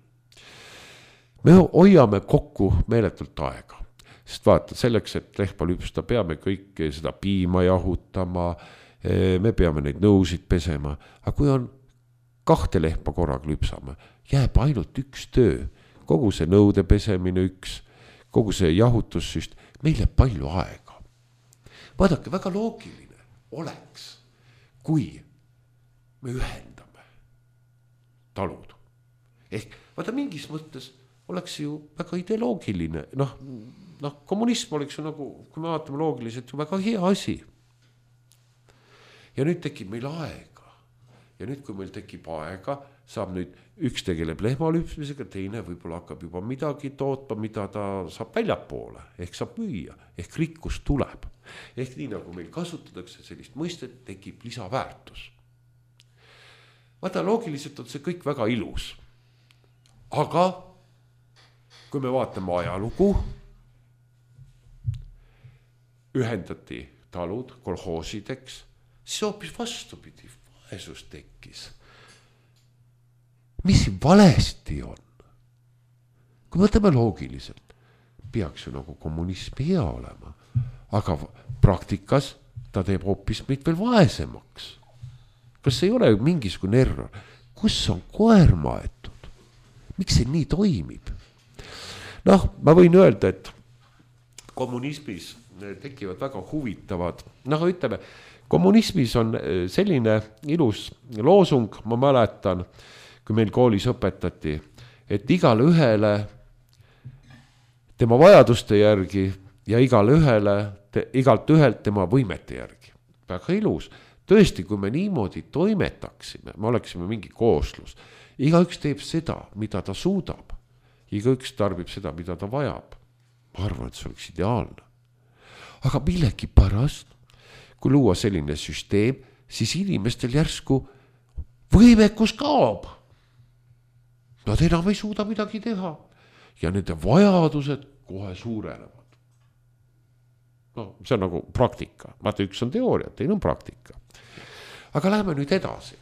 Me hoiame kokku meeletult aega. Sest vaata, selleks, et lehma lüpsta, peame kõik seda piima jahutama, me peame neid nõusid pesema. Aga kui on kahte lehma korraga lüpsame, jääb ainult üks töö. Kogu see nõude pesemine üks, kogu see jahutussüst, meil jääb palju aega. Vaadake, väga loogiline oleks, kui me ühendame talud. Ehk vaata mingis mõttes oleks ju väga ideoloogiline. Noh, noh, kommunism oleks ju nagu, kui me vaatame loogiliselt, ju väga hea asi. Ja nüüd tekib meil aega. Ja nüüd, kui meil tekib aega, saab nüüd üks tegeleb lehma lüpsmisega, teine võib-olla hakkab juba midagi tootma, mida ta saab väljapoole. Ehk saab müüa. Ehk rikkus tuleb. Ehk nii nagu meil kasutatakse sellist mõistet, tekib lisaväärtus. Vaata, loogiliselt on see kõik väga ilus. Aga kui me vaatame ajalugu, ühendati talud kolhoosideks, siis hoopis vastupidi, vaesus tekkis. Mis valesti on? Kui võtame loogiliselt, peaks ju nagu kommunism hea olema, aga praktikas ta teeb hoopis meid veel vaesemaks. Kas see ei ole ju mingisugune error? Kus on koer maetud? Miks see nii toimib? Noh, ma võin öelda, et kommunismis tekivad väga huvitavad. Noh, ütleme, kommunismis on selline ilus loosung, ma mäletan, kui meil koolis õpetati, et igale ühele tema vajaduste järgi ja igale ühele, igalt ühelt tema võimete järgi. Väga ilus. Tõesti, kui me niimoodi toimetaksime, me oleksime mingi kooslus. Igaüks teeb seda, mida ta suudab. Igaüks tarbib seda, mida ta vajab. Ma arvan, et see oleks ideaalne. Aga millegi pärast, kui luua selline süsteem, siis inimestel järsku võimekus kaob. Nad enam ei suuda midagi teha. Ja nende vajadused kohe suurenevad. No, see on nagu praktika. Vaata, üks on teooria, teine on praktika. Aga läheme nüüd edasi.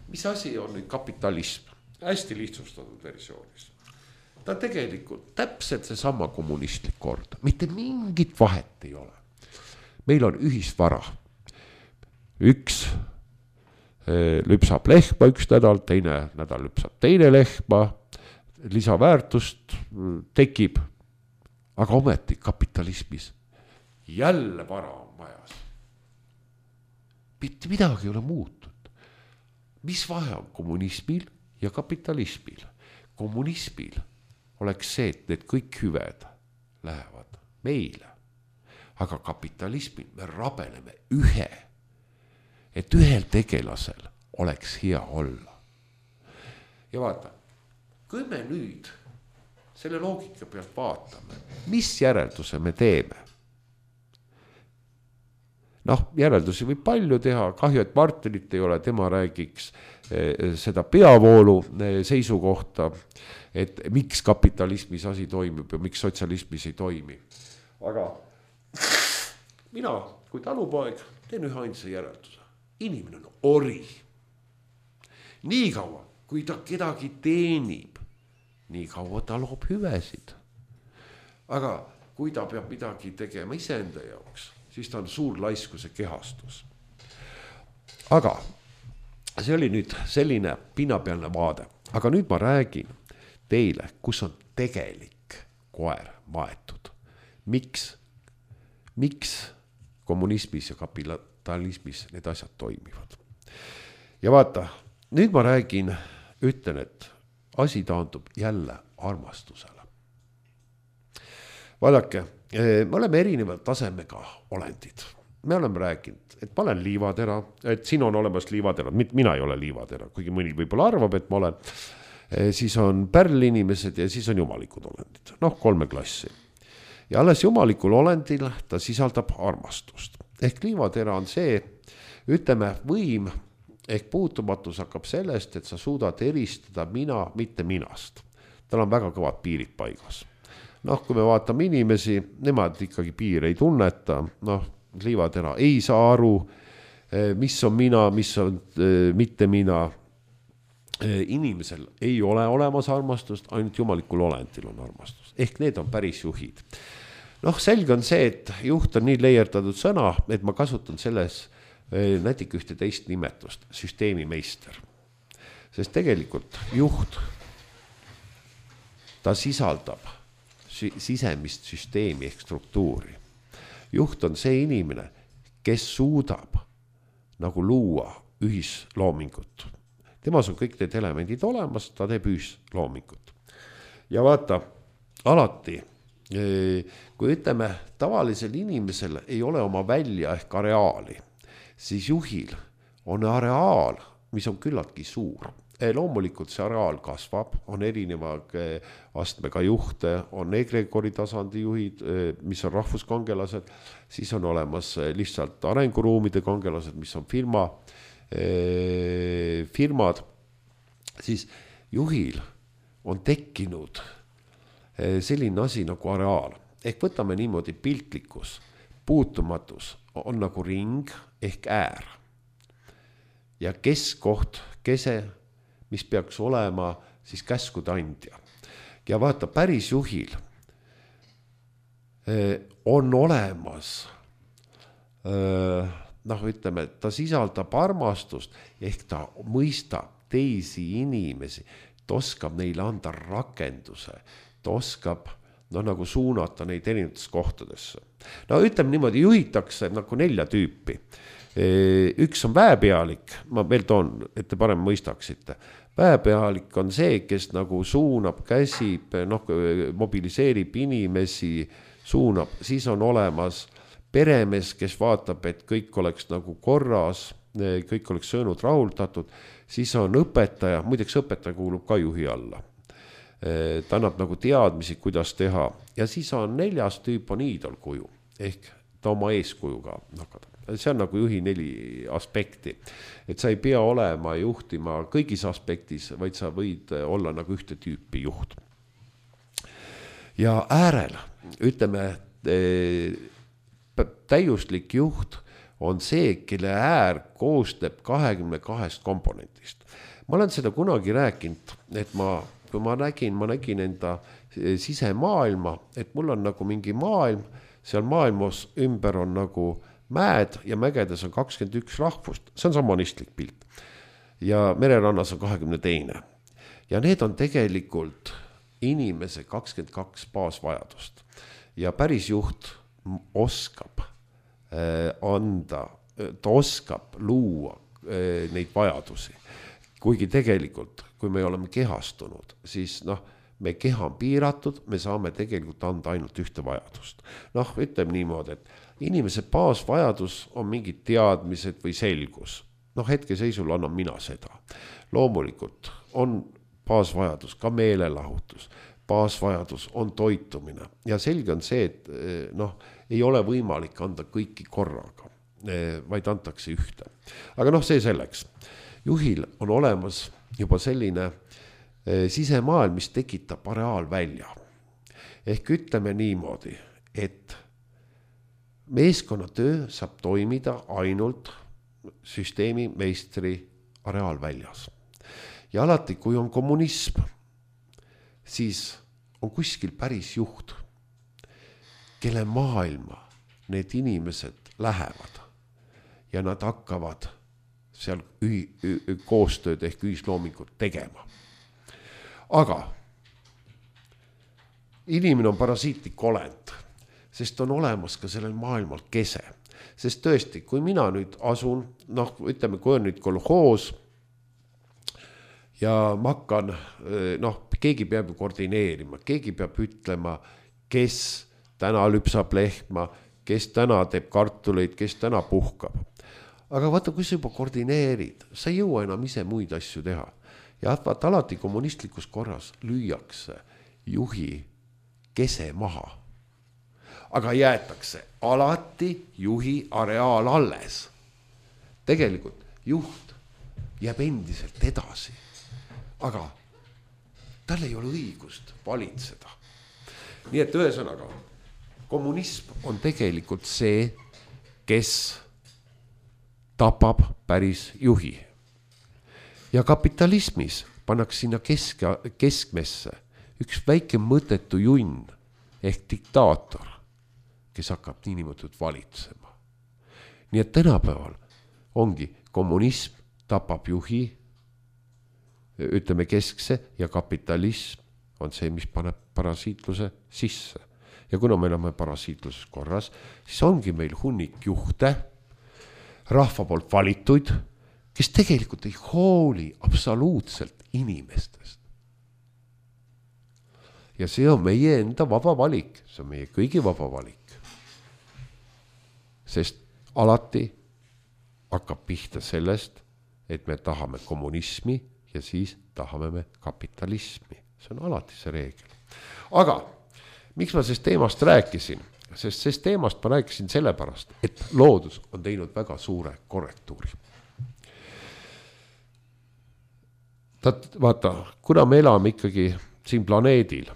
Mis asi on nüüd kapitalism? Hästi lihtsustatud versioonis. Ta tegelikult täpselt see sama kommunistlik kord. Mitte mingit vahet ei ole. Meil on ühisvara. Üks lüpsab lehma üks nädal, teine nädal lüpsab teine lehma, lisaväärtust tekib, aga ometi kapitalismis jälle vara on majas. Mitte midagi ei ole muutud. Mis vahe on kommunismil ja kapitalismil? Kommunismil oleks see, et need kõik hüved lähevad meile, aga kapitalismil me rabeleme ühe, et ühel tegelasel oleks hea olla. Ja vaata, kui me nüüd selle loogika pealt vaatame, mis järelduse me teeme? Noh, järeldusi võib palju teha, kahju, et Martinit ei ole, tema räägiks seda peavoolu seisukohta, et miks kapitalismis asi toimib ja miks sotsialismis ei toimi. Aga mina kui talupoeg teen ühe ainsa järelduse. Inimene on ori. Nii kaua, kui ta kedagi teenib, nii kaua ta loob hüvesid. Aga kui ta peab midagi tegema iseenda jaoks, siis ta on suur laiskuse kehastus. Aga see oli nüüd selline pinnapealne vaade. Aga nüüd ma räägin teile, kus on tegelik koer maetud. Miks, miks kommunismis ja kapitalismis need asjad toimivad. Ja vaata, nüüd ma räägin, ütlen, et asi taandub jälle armastusele. Vaadake, me oleme erineva tasemega olendid. Me oleme rääkinud, et ma olen liivatera, et siin on olemas liivatera, mina ei ole liivatera, kuigi mõni võib-olla arvab, et ma olen, siis on pärlinimesed ja siis on jumalikud olendid, noh kolme klassi. Ja alles jumalikul olendil ta sisaldab armastust. Ehk liivatera on see, ütleme, võim ehk puutumatus hakkab sellest, et sa suudad eristada mina, mitte minast. Tal on väga kõvad piirid paigas. Noh, kui me vaatame inimesi, nemad ikkagi piir ei tunneta, noh, liivatera ei saa aru, mis on mina, mis on mitte mina. Inimesel ei ole olemas armastust, ainult jumalikul olendil on armastus. Ehk need on päris juhid. Noh, selge on see, et juht on nii leierdatud sõna, et ma kasutan selles nätik ühte teist nimetust, süsteemimeister. Sest tegelikult juht, ta sisaldab sisemist süsteemi ehk struktuuri. Juht on see inimene, kes suudab nagu luua ühisloomingut. Temas on kõik need elemendid olemas, ta teeb ühisloomingut. Ja vaata, alati, kui ütleme, tavalisel inimesel ei ole oma välja ehk areaali, siis juhil on areaal, mis on küllaltki suur. Loomulikult see areaal kasvab, on erineva astmega juhte, on egregori tasandi juhid, mis on rahvuskangelased, siis on olemas lihtsalt arenguruumide kangelased, mis on firma, firmad, siis juhil on tekkinud selline asi nagu areaal. Ehk võtame niimoodi piltlikkus, puutumatus on nagu ring ehk äär. Ja keskkoht, kese, mis peaks olema siis käskude andja. Ja vaata, päris juhil on olemas, noh ütleme, ta sisaldab armastust, ehk ta mõistab teisi inimesi, ta oskab neile anda rakenduse, ta oskab no, nagu suunata neid erinevates kohtadesse. No ütleme niimoodi, juhitakse nagu nelja tüüpi. Üks on väepealik, ma veel toon, et te parem mõistaksite. Väepealik on see, kes nagu suunab, käsib, noh, mobiliseerib inimesi, suunab. Siis on olemas peremees, kes vaatab, et kõik oleks nagu korras, kõik oleks söönud rahuldatud. Siis on õpetaja, muideks õpetaja kuulub ka juhi alla. Ta annab nagu teadmisi, kuidas teha. Ja siis on neljas tüüp on iidolkuju, ehk ta oma eeskujuga nakata. See on nagu juhi neli aspekti, et sa ei pea olema juhtima kõigis aspektis, vaid sa võid olla nagu ühte tüüpi juht. Ja äärel, ütleme, täiuslik juht on see, kelle äär koosneb kahekümne kahest komponentist. Ma olen seda kunagi rääkinud, et ma, kui ma nägin, ma nägin enda sisemaailma, et mul on nagu mingi maailm, seal maailmas ümber on nagu mäed ja mägedes on kakskümmend üks rahvust, see on samanistlik pilt. Ja mererannas on kahekümne teine. Ja need on tegelikult inimese kakskümmend kaks baasvajadust. Ja päris juht oskab äh, anda, ta oskab luua äh, neid vajadusi. Kuigi tegelikult, kui me oleme kehastunud, siis noh, me keha on piiratud, me saame tegelikult anda ainult ühte vajadust. Noh, ütleme niimoodi, et inimese baasvajadus on mingid teadmised või selgus. Noh, hetke seisul annan mina seda. Loomulikult on baasvajadus ka meelelahutus. Baasvajadus on toitumine. Ja selge on see, et noh, ei ole võimalik anda kõiki korraga, vaid antakse ühte. Aga noh, see selleks. Juhil on olemas juba selline sisemaailm, mis tekitab areaalvälja. Ehk ütleme niimoodi, et meeskonnatöö saab toimida ainult süsteemi meistri areaalväljas. Ja alati, kui on kommunism, siis on kuskil päris juht, kelle maailma need inimesed lähevad ja nad hakkavad seal ühi, ühi, koostööd ehk ühisloomingut tegema. Aga inimene on parasiitlik olend, sest on olemas ka sellel maailmal kese. Sest tõesti, kui mina nüüd asun, noh, ütleme, kui on nüüd kolhoos ja ma hakkan, noh, keegi peab koordineerima, keegi peab ütlema, kes täna lüpsab lehma, kes täna teeb kartuleid, kes täna puhkab. Aga vaata, kui sa juba koordineerid, sa ei jõua enam ise muid asju teha. Ja vaata, alati kommunistlikus korras lüüakse juhi kese maha. Aga jäetakse alati juhi areaal alles. Tegelikult juht jääb endiselt edasi. Aga tal ei ole õigust valitseda. Nii et ühesõnaga, kommunism on tegelikult see, kes tapab päris juhi. Ja kapitalismis pannakse sinna kesk, keskmesse üks väike mõttetu junn ehk diktaator, kes hakkab niimoodi valitsema. Nii et tänapäeval ongi kommunism tapab juhi, ütleme keskse, ja kapitalism on see, mis paneb parasiitluse sisse. Ja kuna me oleme parasiitluses korras, siis ongi meil hunnik juhte, rahva poolt valituid, kes tegelikult ei hooli absoluutselt inimestest. Ja see on meie enda vaba valik, see on meie kõigi vaba valik. Sest alati hakkab pihta sellest, et me tahame kommunismi ja siis tahame me kapitalismi. See on alati see reegel. Aga miks ma sellest teemast rääkisin? Sest sellest teemast ma rääkisin sellepärast, et loodus on teinud väga suure korrektuuri. Tat, vaata, kuna me elame ikkagi siin planeedil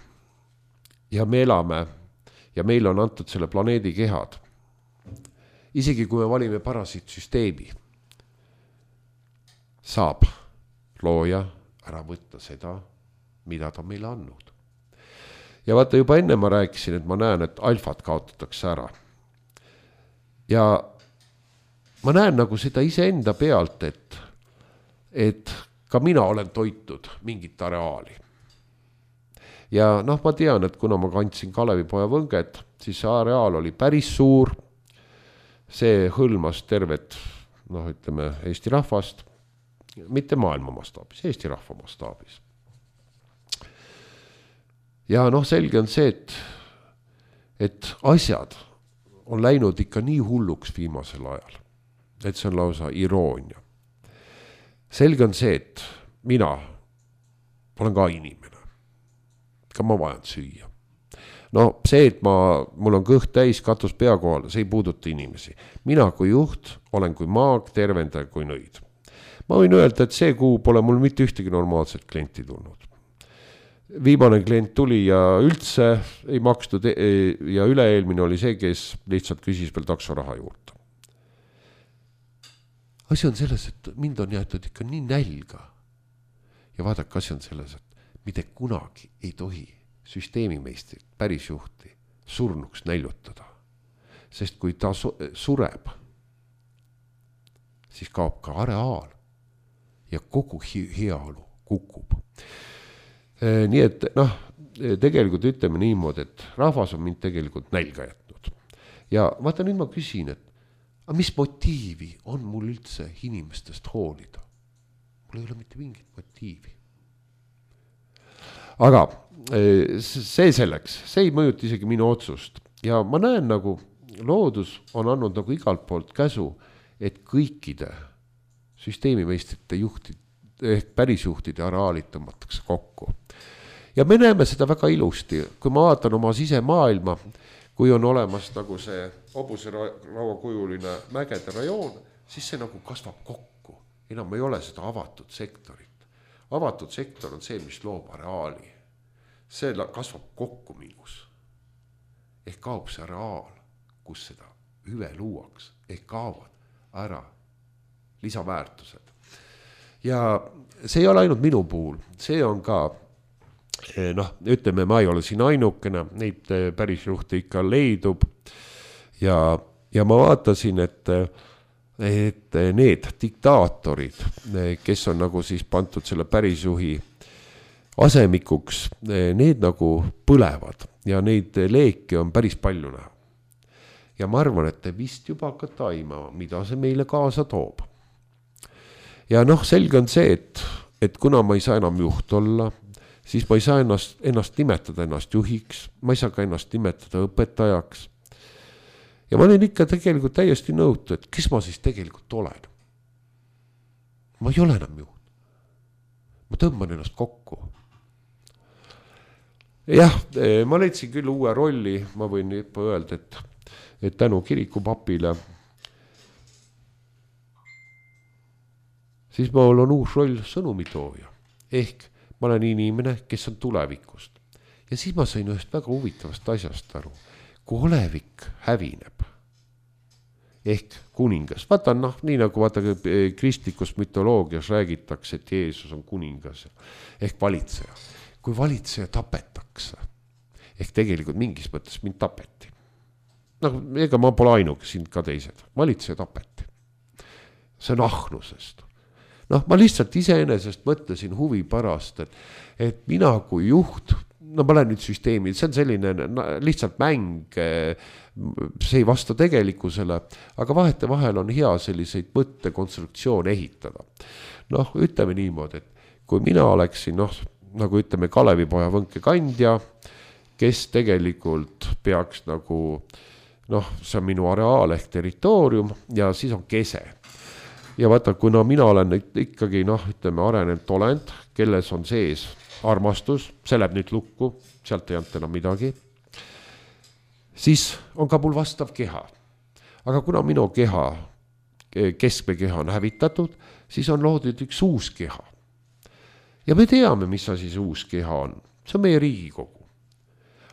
ja me elame ja meil on antud selle planeedi kehad, isegi kui me valime parasiitsüsteemi, saab looja ära võtta seda, mida ta meile andnud. Ja vaata, juba enne ma rääkisin, et ma näen, et alfad kaotatakse ära. Ja ma näen nagu seda iseenda pealt, et, et ka mina olen toitud mingit areaali. Ja noh, ma tean, et kuna ma kandsin Kalevipoja võnget, siis see areaal oli päris suur. See hõlmas tervet, noh, ütleme, Eesti rahvast, mitte maailma mastaabis, Eesti rahva mastaabis. Ja noh, selge on see, et, et asjad on läinud ikka nii hulluks viimasel ajal, et see on lausa iroonia. Selge on see, et mina olen ka inimene, ka ma vajan süüa. No see, et ma, mul on kõht täis, katus pea kohal, see ei puuduta inimesi. Mina kui juht olen kui maag, tervendaja kui nõid. Ma võin öelda, et see kuu pole mul mitte ühtegi normaalset klienti tulnud. Viimane klient tuli ja üldse ei makstud ja üleeelmine oli see, kes lihtsalt küsis veel taksoraha juurde. Asi on selles, et mind on jäetud ikka nii nälga. Ja vaadake, asi on selles, et mitte kunagi ei tohi süsteemimeistrit, päris juhti surnuks näljutada. Sest kui ta sureb, siis kaob ka areaal ja kogu heaolu kukub. Nii et noh, tegelikult ütleme niimoodi, et rahvas on mind tegelikult nälga jätnud. Ja vaata, nüüd ma küsin, et aga mis motiivi on mul üldse inimestest hoolida? Mul ei ole mitte mingit motiivi. Aga see selleks, see ei mõjuta isegi minu otsust. Ja ma näen nagu loodus on andnud nagu igalt poolt käsu, et kõikide süsteemimeistrite juhtid ehk pärisjuhtide areaalid tõmmatakse kokku. Ja me näeme seda väga ilusti, kui ma vaatan oma sisemaailma, kui on olemas nagu see hobuse rauakujuline mägede rajoon, siis see nagu kasvab kokku. Enam ei ole seda avatud sektorit. Avatud sektor on see, mis loob areaali. See kasvab kokku minus. Ehk kaob see areaal, kus seda hüve luuaks. Ehk kaovad ära lisaväärtused. Ja see ei ole ainult minu puhul, see on ka, noh, ütleme, ma ei ole siin ainukene, neid päris juhte ikka leidub. Ja, ja ma vaatasin, et, et need diktaatorid, kes on nagu siis pantud selle pärisjuhi asemikuks, need nagu põlevad ja neid leeke on päris palju näha. ja ma arvan, et te vist juba hakkate aimama, mida see meile kaasa toob. Ja noh, selge on see, et, et kuna ma ei saa enam juht olla, siis ma ei saa ennast, ennast nimetada ennast juhiks, ma ei saa ka ennast nimetada õpetajaks. Ja ma olen ikka tegelikult täiesti nõutu, et kes ma siis tegelikult olen. Ma ei ole enam juht. Ma tõmban ennast kokku. Jah, ma leidsin küll uue rolli, ma võin juba öelda, et, et tänu kirikupapile, siis mul on uus roll sõnumitooja. Ehk ma olen inimene, kes on tulevikust. Ja siis ma sain ühest väga huvitavast asjast aru. Kui olevik hävineb, ehk kuningas. Vaata, noh, nii nagu vaata kristlikus mütoloogias räägitakse, et Jeesus on kuningas ehk valitseja. Kui valitseja tapetakse, ehk tegelikult mingis mõttes mind tapeti. Noh, ega ma pole ainuke, siin ka teised. Valitseja tapeti. See on ahnusest. Noh, ma lihtsalt iseenesest mõtlesin huvi pärast, et, et mina kui juht, no ma olen nüüd süsteemi, see on selline lihtsalt mäng, see ei vasta tegelikkusele, aga vahete vahel on hea selliseid mõttekonstruktsioone ehitada. Noh, ütleme niimoodi, et kui mina oleksin, noh, nagu ütleme Kalevipoja Võnke kandja, kes tegelikult peaks nagu, noh, see on minu areaal ehk territoorium ja siis on kese. Ja vaata, kuna mina olen ikkagi, noh, ütleme arenenud olend, kelles on sees armastus, see läheb nüüd lukku, sealt ei anta enam midagi, siis on ka mul vastav keha. Aga kuna minu keha, keskme keha on hävitatud, siis on loodud üks uus keha. Ja me teame, mis asi see uus keha on. See on meie Riigikogu.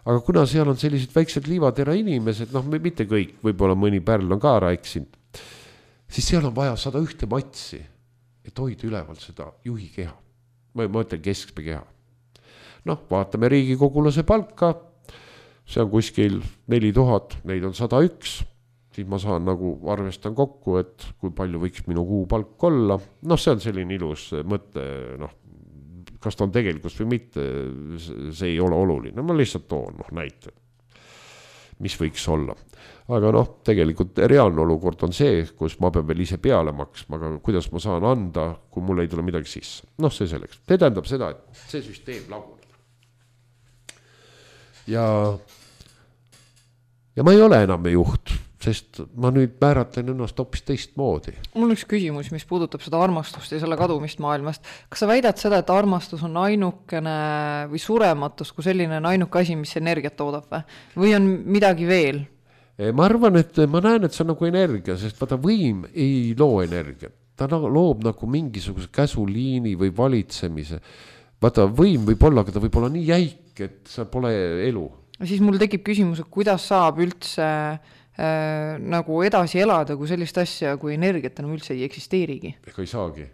Aga kuna seal on sellised väiksed liivatera inimesed, noh, mitte kõik, võib-olla mõni pärl on ka rääksinud, siis seal on vaja sada ühte matsi, et hoida üleval seda juhi keha. Ma mõtlen keskme keha. Noh, vaatame riigikogulase palka, see on kuskil neli tuhat, neid on sada üks, siis ma saan nagu arvestan kokku, et kui palju võiks minu kuu palk olla. Noh, see on selline ilus mõte, noh, kas ta on tegelikult või mitte, see ei ole oluline. Ma lihtsalt toon, noh, näite, mis võiks olla. Aga noh, tegelikult reaalne olukord on see, kus ma pean veel ise peale maksma, aga kuidas ma saan anda, kui mul ei tule midagi sisse. Noh, see selleks. See tähendab seda, et see süsteem laguneb. Ja, ja ma ei ole enam juht, sest ma nüüd määratlen ennast hoopis teist moodi. Mul on üks küsimus, mis puudutab seda armastust ja selle kadumist maailmast. Kas sa väidad seda, et armastus on ainukene või surematus, kui selline on ainuke asi, mis energiat toodab või? Või on midagi veel? Ma arvan, et ma näen, et see on nagu energia, sest vaata võim ei loo energiat. Ta loob nagu mingisuguse käsuliini või valitsemise. Vaata võim võib olla, aga ta võib olla nii jäik, et see pole elu. Siis mul tekib küsimus, et kuidas saab üldse äh, nagu edasi elada, kui sellist asja, kui energiat enam üldse ei eksisteerigi? Ega ei saagi.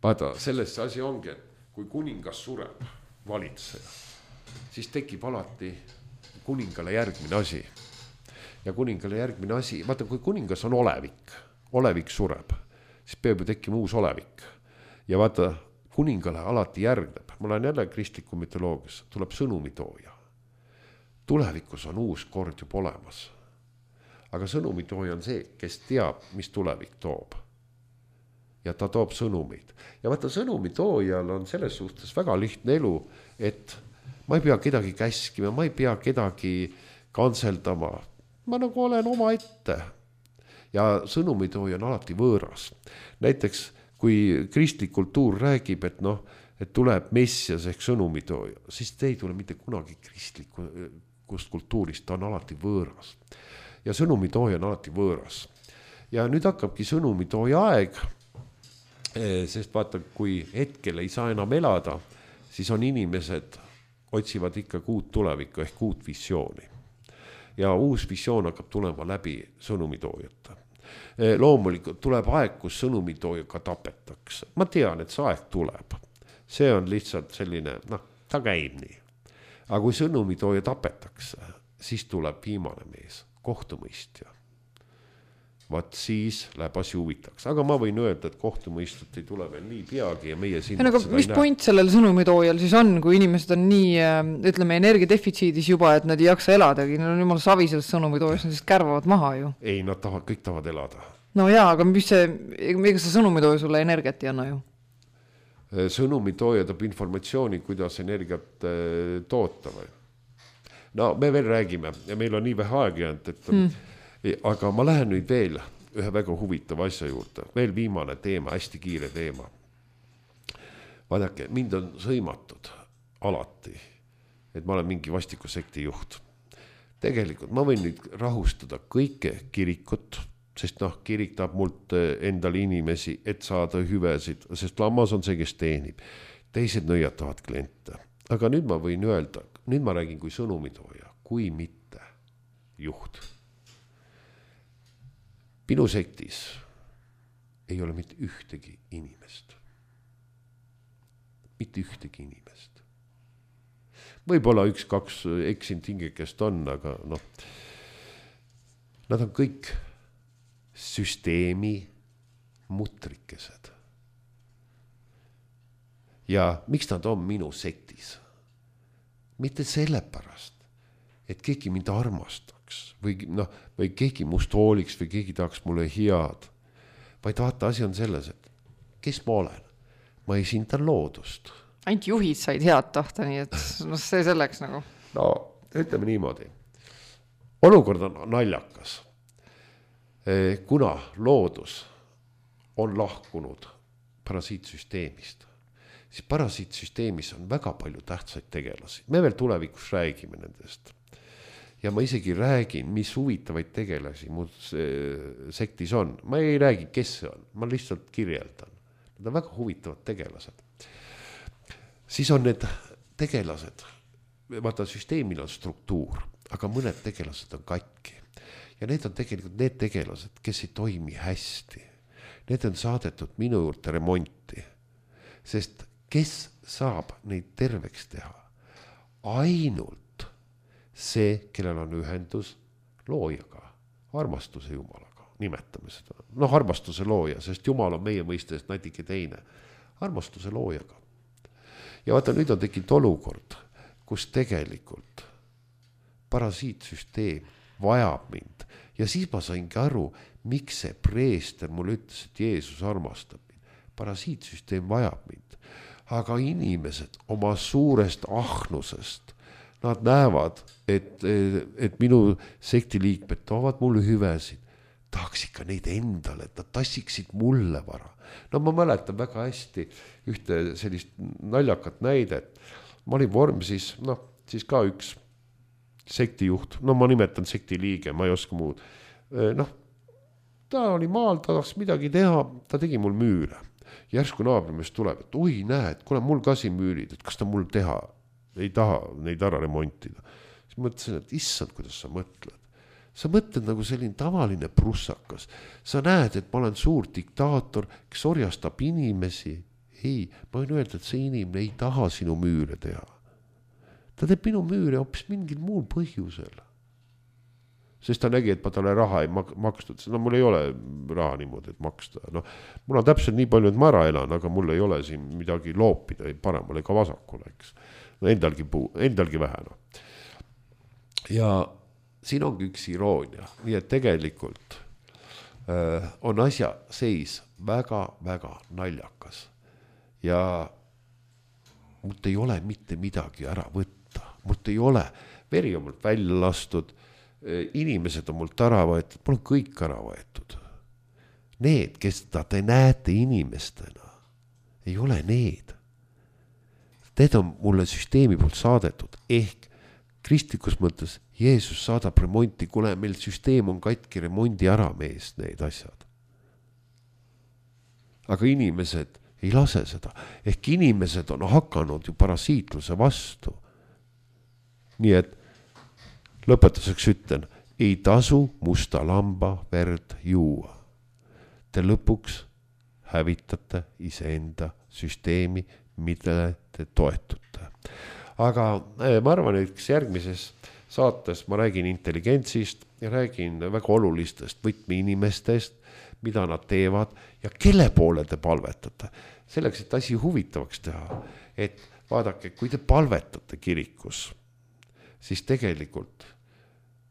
Vaata, sellest asi ongi, et kui kuningas sureb valitseja, siis tekib alati kuningale järgmine asi. Ja kuningale järgmine asi, vaata, kui kuningas on olevik, olevik sureb, siis peab ju tekkima uus olevik. Ja vaata, kuningale alati järgneb, ma olen jälle kristliku mütoloogias, tuleb sõnumitooja. Tulevikus on uus kord juba olemas. Aga sõnumitooja on see, kes teab, mis tulevik toob. Ja ta toob sõnumid. Ja vaata, sõnumitoojal on selles suhtes väga lihtne elu, et ma ei pea kedagi käskima, ma ei pea kedagi kantseldama. Ma nagu olen oma ette. Ja sõnumitooja on alati võõras. Näiteks, kui kristlik kultuur räägib, et noh, et tuleb messias ehk sõnumitooja, siis te ei tule mitte kunagi kristlikust kultuurist, ta on alati võõras. Ja sõnumitooja on alati võõras. Ja nüüd hakkabki sõnumitooja aeg, sest vaata, kui hetkel ei saa enam elada, siis on inimesed, otsivad ikka uut tulevikku ehk uut visiooni. Ja uus visioon hakkab tulema läbi sõnumitoojata. Loomulikult tuleb aeg, kus sõnumitoojaga tapetakse. Ma tean, et see aeg tuleb. See on lihtsalt selline, noh, ta käib nii. Aga kui sõnumitooja tapetakse, siis tuleb viimane mees, kohtumõistja. vaat siis läheb asi huvitaks. Aga ma võin öelda, et kohtumõistut ei tule veel nii peagi ja meie siin... Aga mis point sellel sõnumitoojal siis on, kui inimesed on nii, ütleme, energiadefitsiidis juba, et nad ei jaksa eladagi, nad on jumala savi sellest sõnumitoojas, nad siis kärvavad maha ju. Ei, nad tahavad, kõik tahavad elada. No jaa, aga mis see, ega see sõnumitooja sulle energiat ei anna ju? Sõnumitooja toob informatsiooni, kuidas energiat toota või? No me veel räägime ja meil on nii vähe aegi jäänud, et hmm. aga ma lähen nüüd veel ühe väga huvitava asja juurde. Veel viimane teema, hästi kiire teema. Vaadake, mind on sõimatud alati, et ma olen mingi vastiku sekti juht. Tegelikult ma võin nüüd rahustada kõike kirikut, sest noh, kirik tahab mult endale inimesi, et saada hüvesid, sest lammas on see, kes teenib. Teised nõiatavad kliente. Aga nüüd ma võin öelda, nüüd ma räägin kui sõnumitooja, kui mitte juht. Minu sektis ei ole mitte ühtegi inimest. Mitte ühtegi inimest. Võib-olla üks, kaks eksin tingekest on, aga noh, nad on kõik süsteemi mutrikesed. Ja miks nad on minu sektis? Mitte sellepärast, et keegi mind armastaks või, no, või keegi must hooliks või keegi tahaks mulle head. Vaid vaata, asi on selles, et kes ma olen? Ma esindan loodust. Ainult juhid said head tahta, nii et no, see selleks nagu. No, ütleme niimoodi. Olukord on naljakas. Kuna loodus on lahkunud parasiitsüsteemist, siis parasiitsüsteemis on väga palju tähtsaid tegelasi. Me veel tulevikus räägime nendest. Ja ma isegi räägin, mis huvitavaid tegelasi mu sektis on. Ma ei räägi, kes see on. Ma lihtsalt kirjeldan. Need on väga huvitavad tegelased. Siis on need tegelased. Vaata, süsteemil on struktuur, aga mõned tegelased on katki. Ja need on tegelikult need tegelased, kes ei toimi hästi. Need on saadetud minu juurde remonti. Sest kes saab neid terveks teha? Ainult see, kellel on ühendus loojaga, armastuse Jumalaga, nimetame seda. Noh, armastuse looja, sest Jumal on meie mõistest natuke teine. Armastuse loojaga. Ja vaata, nüüd on tekkinud olukord, kus tegelikult parasiitsüsteem vajab mind. Ja siis ma saingi aru, miks see preester mulle ütles, et Jeesus armastab mind. Parasiitsüsteem vajab mind. Aga inimesed oma suurest ahnusest, nad näevad, et, et minu sektiliikmed toovad mulle hüvesid. Tahaks ikka neid endale, et nad tassiksid mulle vara. No ma mäletan väga hästi ühte sellist naljakat näidet. Ma olin Vormsis, noh, siis ka üks sektijuht, no ma nimetan sektiliige, ma ei oska muud. Noh, ta oli maal, ta tahaks midagi teha, ta tegi mul müüre. Järsku naabrimest tuleb, et oi, näed, kuna mul ka siin müürid, et kas ta mul teha, ei taha neid ära remontida. Siis mõtlesin, et issand, kuidas sa mõtled. Sa mõtled nagu selline tavaline prussakas. Sa näed, et ma olen suur diktaator, kes orjastab inimesi. Ei, ma võin öelda, et see inimene ei taha sinu müüre teha. Ta teeb minu müüre hoopis mingil muul põhjusel. Sest ta nägi, et ma talle raha ei makstud. No mul ei ole raha niimoodi, et maksta. No, mul on täpselt nii palju, et ma ära elan, aga mul ei ole siin midagi loopida ei paremale ega vasakule, eks. No endalgi, puu, endalgi vähe. No. Ja siin ongi üks iroonia. Nii et tegelikult äh, on asja seis väga-väga naljakas. Ja mult ei ole mitte midagi ära võtta. Mult ei ole, veri on mult välja lastud, inimesed on mult ära võetud, mul on kõik ära võetud. Need, kes te näete inimestena, ei ole need. Need on mulle süsteemi poolt saadetud, ehk kristlikus mõttes Jeesus saadab remonti, kuna meil süsteem on katki remondi ära mees need asjad. Aga inimesed ei lase seda, ehk inimesed on hakanud ju parasiitluse vastu. Nii et lõpetuseks ütlen, ei tasu musta lamba verd juua. Te lõpuks hävitate iseenda süsteemi, millele te toetute. Aga ma arvan, et järgmises saates ma räägin intelligentsist, ja räägin väga olulistest võtmeinimestest, mida nad teevad ja kelle poole te palvetate. Selleks, et asi huvitavaks teha, et vaadake, kui te palvetate kirikus, siis tegelikult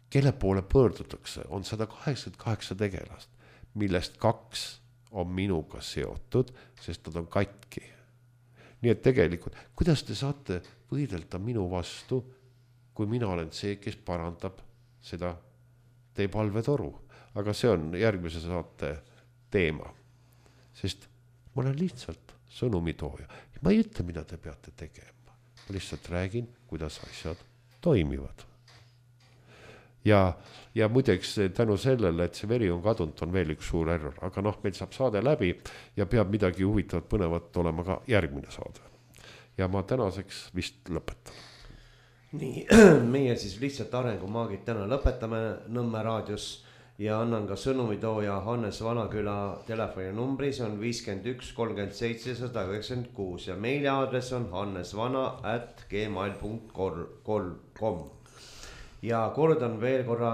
kelle poole pöördutakse, on sada kaheksakümmend kaheksa tegelast, millest kaks on minuga seotud, sest nad on katki. Nii et tegelikult, kuidas te saate võidelda minu vastu, kui mina olen see, kes parandab seda teie palvetoru. Aga see on järgmise saate teema. Sest ma olen lihtsalt sõnumitooja. Ma ei ütle, mida te peate tegema. Ma lihtsalt räägin, kuidas asjad toimivad. Ja, ja muideks tänu sellele, et see veri on kadunud, on veel üks suur error. Aga noh, meil saab saade läbi ja peab midagi huvitavat põnevat olema ka järgmine saade. Ja ma tänaseks vist lõpetan. Nii, meie siis lihtsalt arengumaagid täna lõpetame Nõmme raadios ja annan ka sõnumitooja Hannes Vanaküla telefoninumbri, see on viiskümmend üks kolmkümmend seitse sada üheksakümmend kuus ja meiliaadress on hannesvana at gmail punkt com. Ja kordan veel korra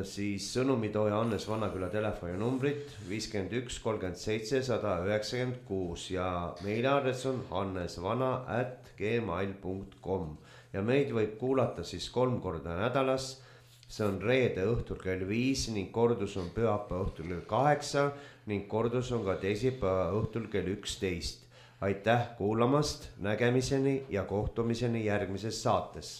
siis sõnumitooja Hannes Vanaküla telefoninumbrit viiskümmend üks kolmkümmend seitse sada üheksakümmend kuus ja meiliaadress on hannesvana at gmail punkt com ja meid võib kuulata siis kolm korda nädalas. See on reede õhtul kell viis ning kordus on pühapäeva õhtul kell kaheksa ning kordus on ka teisipäeva õhtul kell üksteist. Aitäh kuulamast, nägemiseni ja kohtumiseni järgmises saates.